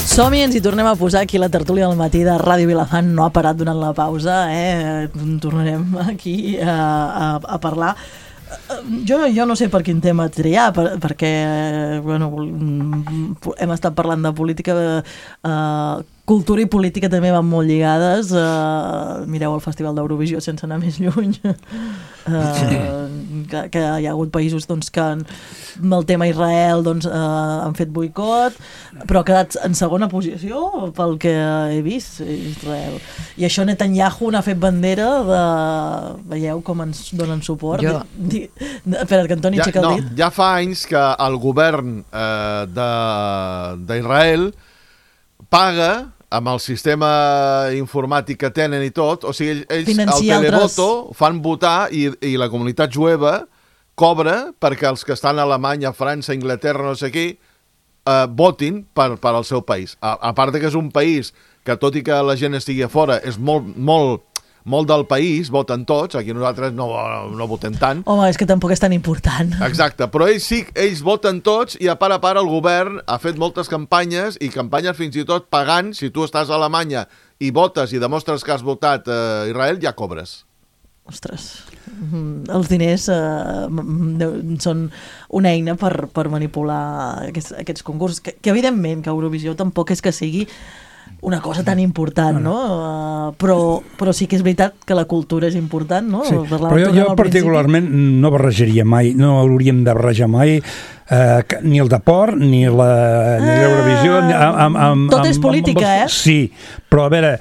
Som-hi, ens hi tornem a posar aquí la tertúlia del matí de Ràdio Vilafant. No ha parat durant la pausa, eh? Tornarem aquí a, a, a parlar. Jo, jo no sé per quin tema triar, per, perquè bueno, hem estat parlant de política, eh, cultura i política també van molt lligades. Eh, mireu el Festival d'Eurovisió sense anar més lluny. Eh, que, que hi ha hagut països doncs, que amb el tema Israel doncs, eh, han fet boicot, però ha quedat en segona posició pel que he vist Israel. I això Netanyahu n'ha fet bandera de... Veieu com ens donen suport? Jo... Di, di, espera't, que Antoni ja, aixeca el no, dit. ja fa anys que el govern eh, d'Israel paga amb el sistema informàtic que tenen i tot, o sigui, ells Financia al televoto altres... fan votar i, i la comunitat jueva cobra perquè els que estan a Alemanya, França, Inglaterra, no sé qui, eh, votin per, per al seu país. A, a part que és un país que, tot i que la gent estigui a fora, és molt, molt, molt del país, voten tots, aquí nosaltres no, no votem tant. Home, és que tampoc és tan important. Exacte, però ells sí, ells voten tots i a part a part el govern ha fet moltes campanyes i campanyes fins i tot pagant. Si tu estàs a Alemanya i votes i demostres que has votat a Israel, ja cobres. Ostres, els diners eh, són una eina per, per manipular aquests, aquests concursos, que, que evidentment que Eurovisió tampoc és que sigui una cosa tan important, no? Uh, però, però sí que és veritat que la cultura és important, no? Sí, però jo, jo particularment no barrejaria mai, no hauríem de barrejar mai eh, ni el deport, ni la ni l'Eurovisió... Ah, tot és política, eh? Sí, però a veure...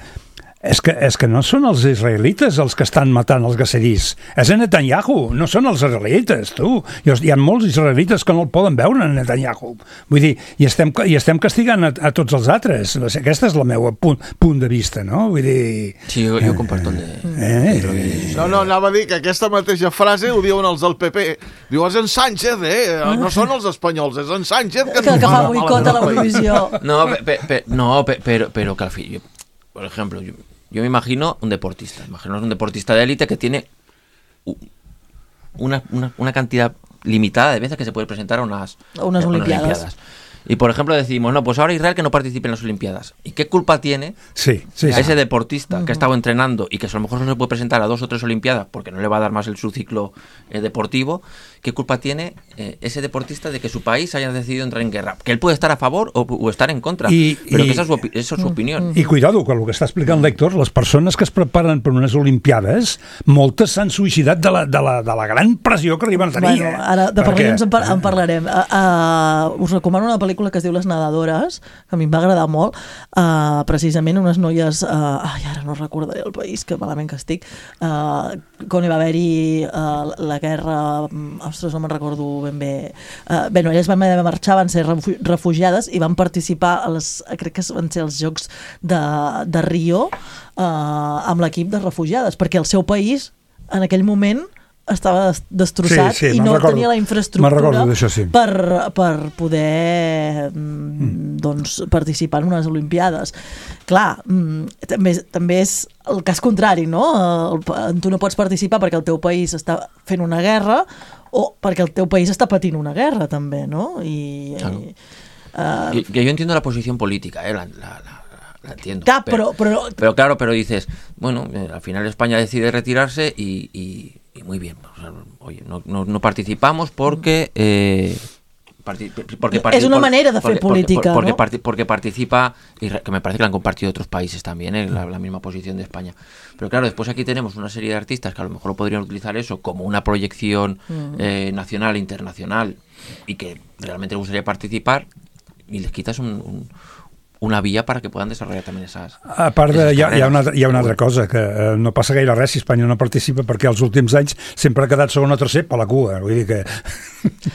És que, és que no són els israelites els que estan matant els gaserís. És en Netanyahu, no són els israelites, tu. Hi ha molts israelites que no el poden veure en Netanyahu. Vull dir, i estem, i estem castigant a, a tots els altres. Aquesta és la meva punt, punt de vista, no? Vull dir... Sí, jo, jo comparto el de... Eh. No, no, anava a dir que aquesta mateixa frase ho diuen els del P P. Diu, és en Sánchez, eh? No són els espanyols, és en Sánchez que, que, que fa boicot a l'Eurovisió. No, pe, pe, no pe, pero, pero que al fin... Yo, por ejemplo, yo, yo me imagino un deportista, imagino un deportista de élite que tiene una, una, una cantidad limitada de veces que se puede presentar a unas, unas a olimpiadas. unas olimpiadas. Y por ejemplo decimos, no, pues ahora Israel que no participe en las Olimpiadas. ¿Y qué culpa tiene sí, sí, ese sí. deportista uh-huh. que ha estado entrenando y que a lo mejor no se puede presentar a dos o tres Olimpiadas porque no le va a dar más el su ciclo eh, deportivo? ¿Qué culpa tiene eh, ese deportista de que su país haya decidido entrar en guerra? Que él puede estar a favor o, o estar en contra, I, però i, que esa és, opi- esa és su opinió. I cuidado, que el que està explicant l'Héctor, les persones que es preparen per unes Olimpiades, moltes s'han suïcidat de la, de la, de la gran pressió que arriben a tenir. Bueno, ara de Perquè... per en, par en parlarem. Uh, uh, us recomano una pel·lícula que es diu Les Nedadores, que a mi em va agradar molt, uh, precisament unes noies, uh, ai, ara no recordaré el país, que malament que estic, uh, quan hi va haver-hi uh, la guerra, ostres, no me'n recordo ben bé, uh, bé, no, elles van haver de marxar, van ser refugiades i van participar a les, crec que van ser els Jocs de, de Rio uh, amb l'equip de refugiades, perquè el seu país en aquell moment estava destrossat sí, sí, i no recordo, tenia la infraestructura sí. per, per poder mm. doncs, participar en unes Olimpiades. Clar, mm, també, també és el cas contrari, no? El, tu no pots participar perquè el teu país està fent una guerra o perquè el teu país està patint una guerra, també, no? I, claro. i, uh, que, que yo entiendo la posición política, ¿eh? la, la, la La entiendo. Claro, pero, pero, pero, pero claro, pero dices, bueno, eh, al final España decide retirarse y, y, y muy bien. O sea, oye, no, no, no participamos porque... Eh, parti porque es una por, manera de hacer porque, política, porque, ¿no? porque, porque participa, y que me parece que la han compartido otros países también, ¿eh? la, la misma posición de España. Pero claro, después aquí tenemos una serie de artistas que a lo mejor podrían utilizar eso como una proyección mm. eh, nacional e internacional y que realmente les gustaría participar y les quitas un... un una via para que puedan desarrollar també esas, a part de, hi, ha, hi, ha una, hi ha una altra bueno. cosa, que eh, no passa gaire res si Espanya no participa, perquè els últims anys sempre ha quedat segon o tercer per la cua, vull dir que...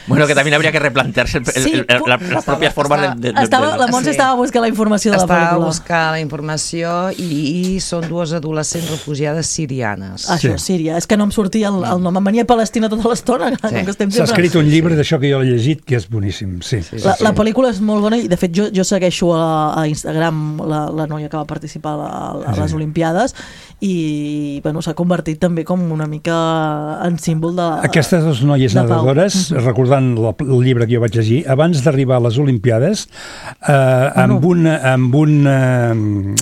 Bueno, que también habría que replantearse el, el, sí, el, el, la, las propias formas de... de, de, estava, de... La Montse sí. estava buscant la informació de la estava pel·lícula. Estava buscant la informació i, i són dues adolescents refugiades sirianes. Això, sí. Síria. És que no em sortia el, el nom. Em venia Palestina tota l'estona. Sí. S'ha escrit un llibre d'això que jo l'he llegit, que és boníssim. Sí. Sí, sí, la, sí. la pel·lícula és molt bona i, de fet, jo, jo segueixo a, a Instagram la, la noia que va participar a, a les sí. Olimpiades i bueno, s'ha convertit també com una mica en símbol de aquestes dues noies nedadores, uh -huh. recordant la, el llibre que jo vaig llegir, abans d'arribar a les Olimpiades eh, amb, un, amb un eh,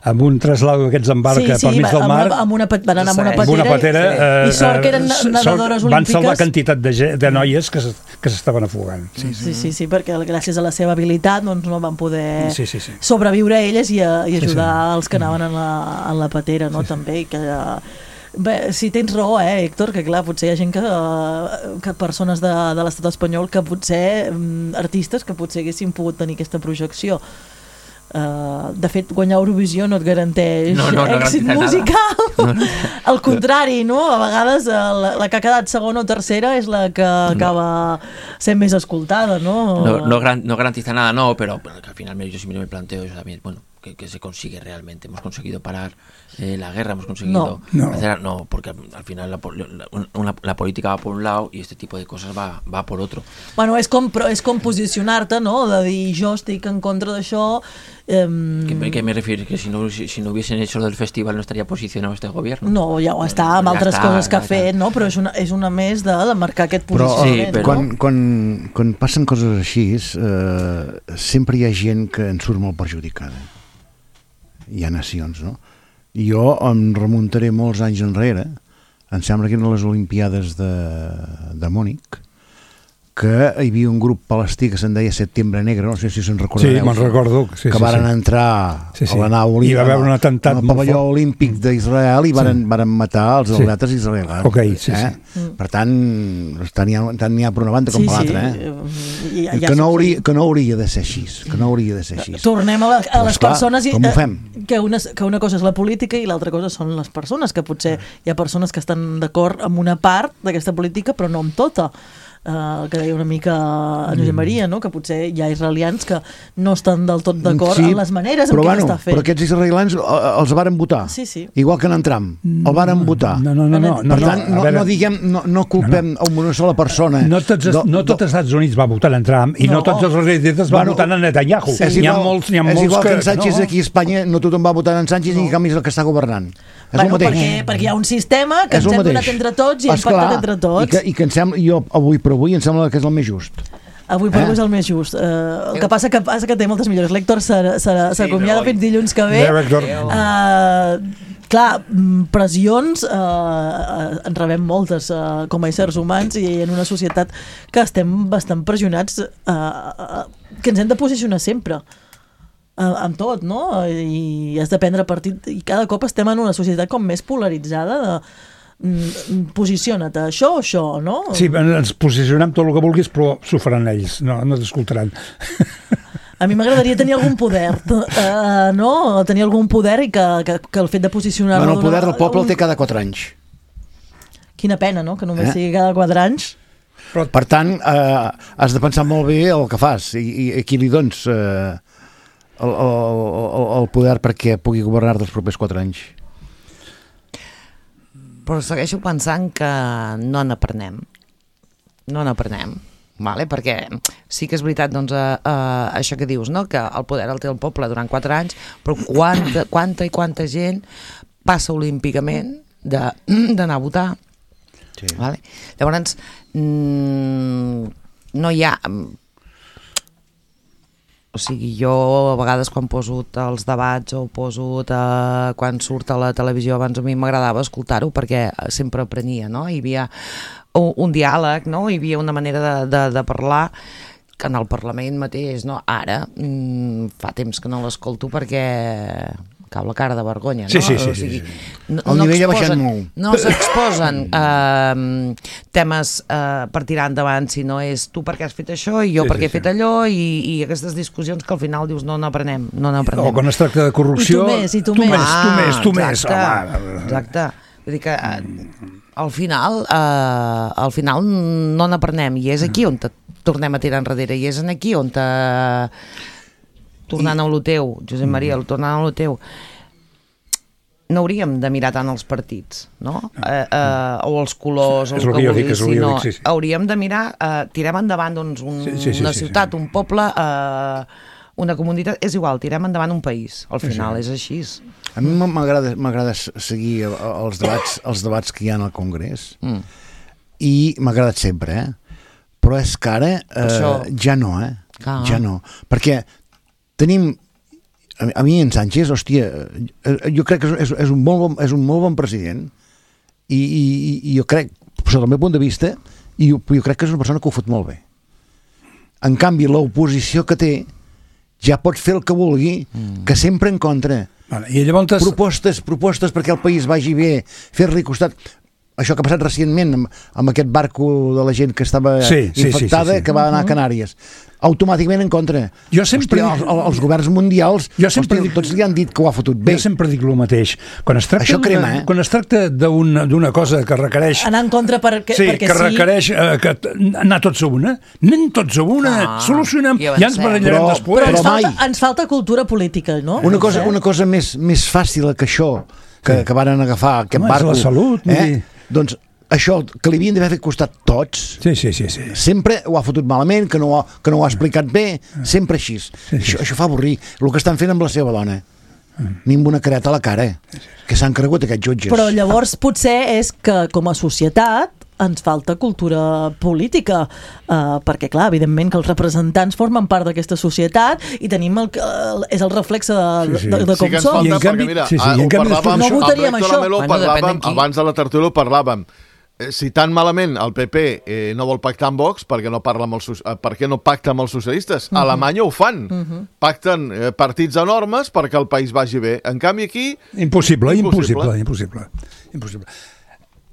amb un traslado d'aquests en barca sí, sí, pel mig del mar, amb una, van anar amb una patera, amb una patera sí. eh, i sort que eren nedadores olímpiques, van salvar quantitat de, de noies que, que s'estaven afogant. Sí sí, sí, sí, sí, perquè gràcies a la seva habilitat doncs, no van poder sí, sí, sí. sobreviure a elles i, a, i ajudar sí, sí. els que anaven en la, en la patera, no? Sí, també, i que bé, sí, tens raó, eh, Héctor, que clar, potser hi ha gent que, que persones de, de l'estat espanyol que potser, artistes que potser haguessin pogut tenir aquesta projecció. Uh, de fet, guanyar Eurovisió no et garanteix no, no, no èxit musical. No, no. Al contrari, no? A vegades la, la que ha quedat segona o tercera és la que acaba sent més escoltada, no? No, no, gran, no garantiza nada, no, pero, pero que al final yo siempre me planteo eso también, bueno, que, que se consigue realmente. Hemos conseguido parar eh, la guerra, hemos conseguido no, no. hacer... No, porque al final la, la, una, la política va por un lado y este tipo de cosas va, va por otro. Bueno, és com, és com posicionar-te, no? De dir, jo estic en contra d'això... Um... ¿Qué, ¿Qué me refiero? Que si no, si, si no hubiesen hecho lo del festival no estaría posicionado este gobierno. No, ja ho està, amb ja altres està, coses que ha ja fet, no? Però és una, és una més de, de marcar aquest posicionament. Però, sí, però... Quan, quan, quan passen coses així, eh, sempre hi ha gent que en surt molt perjudicada. Hi ha nacions, no? Jo em remuntaré molts anys enrere, em sembla que eren les Olimpiades de, de Múnich, que hi havia un grup palestí que se'n deia Setembre Negre, no sé si se'n recordareu. Sí, me'n recordo. Sí, que sí, varen sí. entrar sí, sí. a la nau olímpica, hi va haver un atemptat al pavelló olímpic d'Israel i varen, sí. varen matar els atletes sí. israelians. Okay, sí, eh? sí. Per tant, tant n'hi ha, ha per una banda com sí, per l'altra. Sí. Eh? I, ja, que, no hauria, que no hauria de ser així. Que no hauria de ser així. Tornem a, la, a les esclar, persones... I, com ho fem? Que una, que una cosa és la política i l'altra cosa són les persones, que potser hi ha persones que estan d'acord amb una part d'aquesta política però no amb tota. Uh, que deia una mica a Josep Maria, no? Que potser hi ha israelians que no estan del tot d'acord sí, amb les maneres en què bueno, està fent. Però aquests israelians els varen votar, sí, sí. igual que en Trump, el varen votar. No, no, no, no, per no, tant, no, no, no diguem, no, no culpem no, no. a una sola persona. No tots, do, no tots els Estats Units va votar en Trump i no, no tots els israelites van bueno, votar en Netanyahu. Sí. N'hi ha molts, n'hi ha molts és igual que, que en Sánchez no. aquí a Espanya no tothom va votar en Sánchez no. i en canvi és el que està governant. És bueno, el mateix. Perquè, perquè hi ha un sistema que és ens hem donat entre tots i hem pactat entre tots. I que, i que em sembla, jo avui per avui em sembla que és el més just. Avui per avui és el més just. Uh, el que passa que passa que té moltes millores. L'Héctor s'acomiada sí, fins dilluns que ve. Uh, clar, pressions uh, en rebem moltes uh, com a éssers humans i en una societat que estem bastant pressionats uh, uh, que ens hem de posicionar sempre. Uh, amb tot, no? I has de prendre partit i cada cop estem en una societat com més polaritzada de posiciona't, això o això, no? Sí, ens posicionem tot el que vulguis, però s'ho faran ells, no, no t'escoltaran. A mi m'agradaria tenir algun poder, uh, no? Tenir algun poder i que, que, que el fet de posicionar-lo... Bueno, el poder del poble el té cada quatre anys. Quina pena, no?, que només eh? sigui cada quatre anys. Però... Per tant, eh, has de pensar molt bé el que fas i, i aquí li dones eh, el, el, el poder perquè pugui governar dels propers quatre anys. Però segueixo pensant que no n'aprenem. No n'aprenem, vale? Perquè sí que és veritat doncs, uh, uh, això que dius, no? Que el poder el té el poble durant quatre anys, però quanta, quanta i quanta gent passa olímpicament d'anar a votar. Sí. Vale? Llavors, mm, no hi ha... O sigui, jo a vegades quan poso els debats o poso eh, quan surt a la televisió, abans a mi m'agradava escoltar-ho perquè sempre aprenia, no? Hi havia un, un diàleg, no? Hi havia una manera de, de, de parlar que en el Parlament mateix, no? Ara mm, fa temps que no l'escolto perquè cau la cara de vergonya, no? Sí, sí, sí. O sigui, sí, sí. No, el no nivell exposen, ha baixat molt. No s'exposen eh, temes eh, per tirar endavant, sinó és tu perquè has fet això i jo sí, perquè sí, he fet sí. allò i, i aquestes discussions que al final dius no n'aprenem, no n'aprenem. O quan es tracta de corrupció... I tu més, i tu, tu més. més. Ah, tu més, tu exacte, més, home. Exacte. Vull dir que eh, al final, eh, al final no n'aprenem i és aquí on te tornem a tirar enrere i és aquí on te... Tornant I... a lo teu, Josep Maria, tornant a lo teu... no hauríem de mirar tant els partits, no? Eh, eh, o els colors, o el que, que vulguis, sinó dic, sí, sí. hauríem de mirar, eh, tirem endavant doncs, un, sí, sí, sí, una ciutat, sí, sí. un poble, eh, una comunitat, és igual, tirem endavant un país, al final sí, sí. és així. A mi m'agrada seguir els debats, els debats que hi ha al Congrés mm. i m'ha agradat sempre, eh? Però és que ara eh, Això... ja no, eh? Ah. Ja no, perquè tenim a mi en Sánchez, hòstia, jo crec que és, és, un, molt bon, és un molt bon president i, i, i jo crec, sota el meu punt de vista, i jo, jo crec que és una persona que ho fot molt bé. En canvi, l'oposició que té ja pot fer el que vulgui, mm. que sempre en contra. Vale, i llavors... Propostes, propostes perquè el país vagi bé, fer-li costat... Això que ha passat recentment amb, amb aquest barco de la gent que estava sí, sí, infectada, sí, sí, sí. que va anar a Canàries. Automàticament en contra. Jo sempre Hòstia, dic... els, els governs mundials, jo sempre hòstia, dic... tots li han dit que ho ha fotut bé. Jo sempre dic el mateix. Quan es tracta, Això crema, eh? Quan es tracta d'una cosa que requereix... Anar en contra perquè sí. perquè que requereix eh, que anar tots a una, anem tots a una, ah, solucionem, ja ens barallarem però, després. Però ens falta, ens falta cultura política, no? Una cosa, una cosa més, més fàcil que això, que, sí. que varen agafar aquest Home, barco... És la salut. Eh? Doncs això que li havien d'haver fet costat tots, sí, sí, sí, sí. sempre ho ha fotut malament, que no ho ha, que no ho ha explicat bé, sempre així. Sí, sí. Això, això fa avorrir. El que estan fent amb la seva dona. Mm. Ni amb una careta a la cara, sí, sí. que s'han cregut aquests jutges. Però llavors potser és que com a societat ens falta cultura política, uh, perquè clar, evidentment que els representants formen part d'aquesta societat i tenim el, el, és el reflexe de, sí, sí. de, de com sí que som. Falta, I en canvi, mira, sí, sí, i en canvi parlàvem, no votaríem això. Bueno, parlàvem, abans de la tertúlia parlàvem si tan malament el P P eh, no vol pactar amb Vox, perquè no, parla amb els, eh, perquè no pacta amb els socialistes? Uh -huh. A Alemanya ho fan. Uh -huh. Pacten eh, partits enormes perquè el país vagi bé. En canvi aquí... Impossible, impossible, impossible. impossible.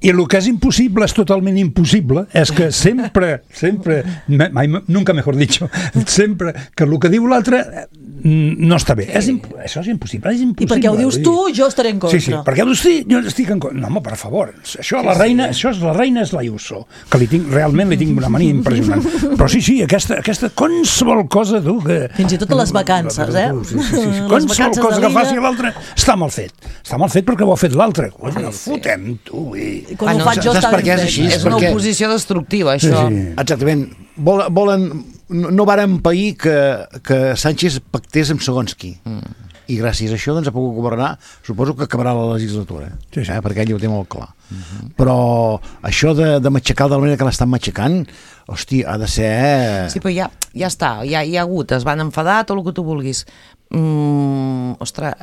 I el que és impossible, és totalment impossible, és que sempre, sempre, mai, nunca mejor dicho, sempre que el que diu l'altre no està bé. És això és impossible, és impossible. I perquè ho dius tu, jo estaré en contra. Sí, sí, perquè ho dius tu, jo estic en contra. No, home, per favor, això, la reina, això és la reina és la Ayuso, que li tinc, realment li tinc una mania impressionant. Però sí, sí, aquesta, aquesta qualsevol cosa, tu, que... Fins i tot a les vacances, eh? Sí, sí, sí. Qualsevol cosa que faci l'altre està mal fet. Està mal fet perquè ho ha fet l'altre. No fotem, tu, i... Quan ah, no, ho faig jo està ben fet. És, és una perquè... oposició destructiva, això. Sí, sí. Exactament. Vol, volen... No, no varen pair que, que Sánchez pactés amb segons qui. Mm. I gràcies a això doncs, ha pogut governar, suposo que acabarà la legislatura, sí, sí. Eh? perquè ell ho té molt clar. Mm-hmm. Però això de, de matxacar de la manera que l'estan matxacant, Hosti, ha de ser... Sí, però ja, ja està, ja hi ha hagut, es van enfadar, tot el que tu vulguis. Mm, ostres,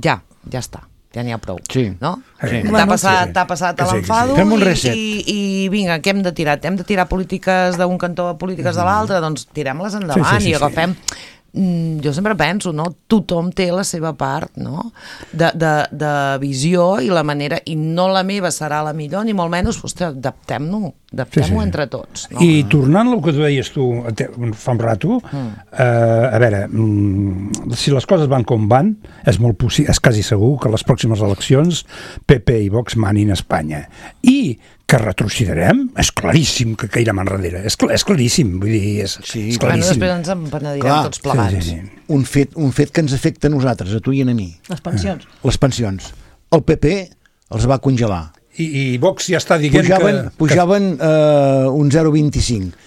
ja, ja està. Ja n'hi ha prou, sí. no? Sí. T'ha passat, t'ha passat sí, l'enfado sí, sí. i, i, i vinga, què hem de tirar? Hem de tirar polítiques d'un cantó a polítiques de l'altre? Doncs tirem-les endavant sí, sí, sí, i agafem... Sí. Jo sempre penso, no? Tothom té la seva part, no? De, de, de visió i la manera, i no la meva serà la millor, ni molt menys, ostres, adaptem-nos, adaptem-ho sí, sí. entre tots. No? I tornant al que tu deies tu fa un rato, mm. eh, a veure, mm, si les coses van com van, és molt possible, és quasi segur que les pròximes eleccions P P i Vox manin a Espanya. I que retrocederem, és claríssim que cairem enrere, és, clar, és claríssim, vull dir, és, sí, és claríssim. Després ens en penedirem tots plegats. Sí, sí, sí. Un, fet, un fet que ens afecta a nosaltres, a tu i a mi. Les pensions. Les pensions. El P P els va congelar. I, i Vox ja està dient pujaven, que... Pujaven eh, un zero coma vint-i-cinc,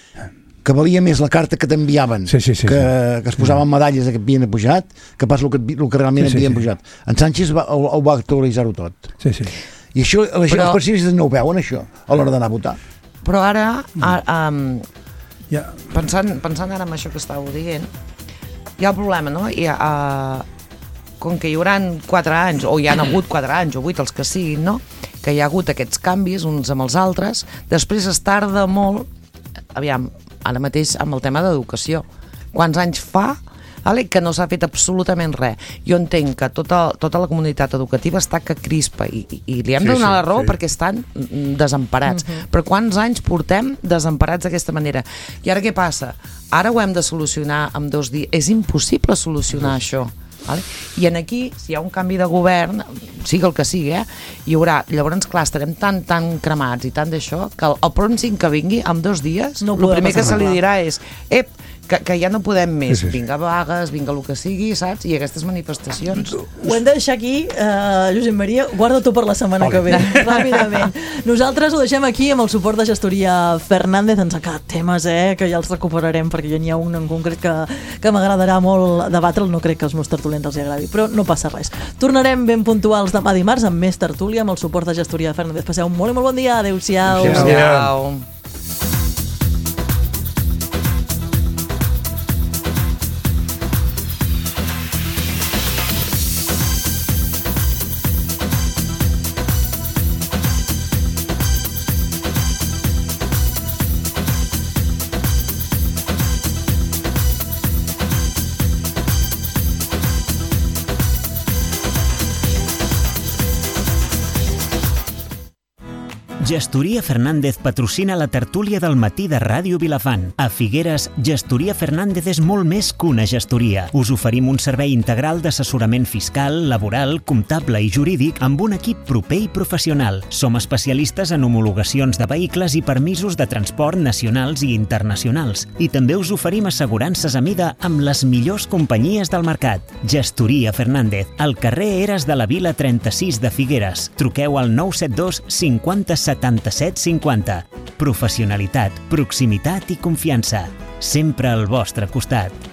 que valia més la carta que t'enviaven, sí, sí, sí, que, sí. que es posaven medalles que havien pujat, que pas el que, el que realment sí, sí, havien sí. pujat. En Sánchez va, el, el va actualitzar-ho tot. Sí, sí. I això, la gent, però, els pensionistes no ho veuen, això, a l'hora d'anar a votar. Però ara, ara um, ja. pensant, pensant ara en això que estàveu dient, hi ha el problema, no? Hi ha, uh, com que hi haurà quatre anys, o hi han hagut quatre anys, o vuit, els que siguin, no? Que hi ha hagut aquests canvis uns amb els altres, després es tarda molt, aviam, ara mateix amb el tema d'educació. Quants anys fa vale, que no s'ha fet absolutament res? Jo entenc que tota, tota la comunitat educativa està que crispa i, i, i li hem de donar sí, sí, la raó sí. perquè estan desemparats. Uh-huh. Però quants anys portem desemparats d'aquesta manera? I ara què passa? Ara ho hem de solucionar en dos dies. És impossible solucionar uh-huh. això. Vale? I en aquí, si hi ha un canvi de govern, sigui el que sigui, eh, hi haurà, llavors, clar, estarem tan, tan cremats i tant d'això, que el, el pròxim que vingui, en dos dies, no el primer que se li dirà és ep, que, que ja no podem més, sí, sí. vinga vagues, vinga el que sigui, saps? I aquestes manifestacions. Ho hem de deixar aquí, uh, Josep Maria, guarda-t'ho per la setmana okay. que ve, ràpidament. Nosaltres ho deixem aquí amb el suport de Gestoria Fernández, ens ha quedat temes, eh, que ja els recuperarem, perquè ja n'hi ha un en concret que, que m'agradarà molt debatre'l, no crec que els meus tertulians els hi agradi, però no passa res. Tornarem ben puntuals demà dimarts amb més tertúlia, amb el suport de Gestoria Fernández. Passeu un molt i molt bon dia, adeu-siau. Adéu-siau. Gestoria Fernández patrocina la tertúlia del matí de Ràdio Vilafant. A Figueres, Gestoria Fernández és molt més que una gestoria. Us oferim un servei integral d'assessorament fiscal, laboral, comptable i jurídic amb un equip proper i professional. Som especialistes en homologacions de vehicles i permisos de transport nacionals i internacionals. I també us oferim assegurances a mida amb les millors companyies del mercat. Gestoria Fernández, al carrer Eres de la Vila trenta-sis de Figueres. Truqueu al nou set dos cinquanta setanta-set cinquanta. Professionalitat, proximitat i confiança. Sempre al vostre costat.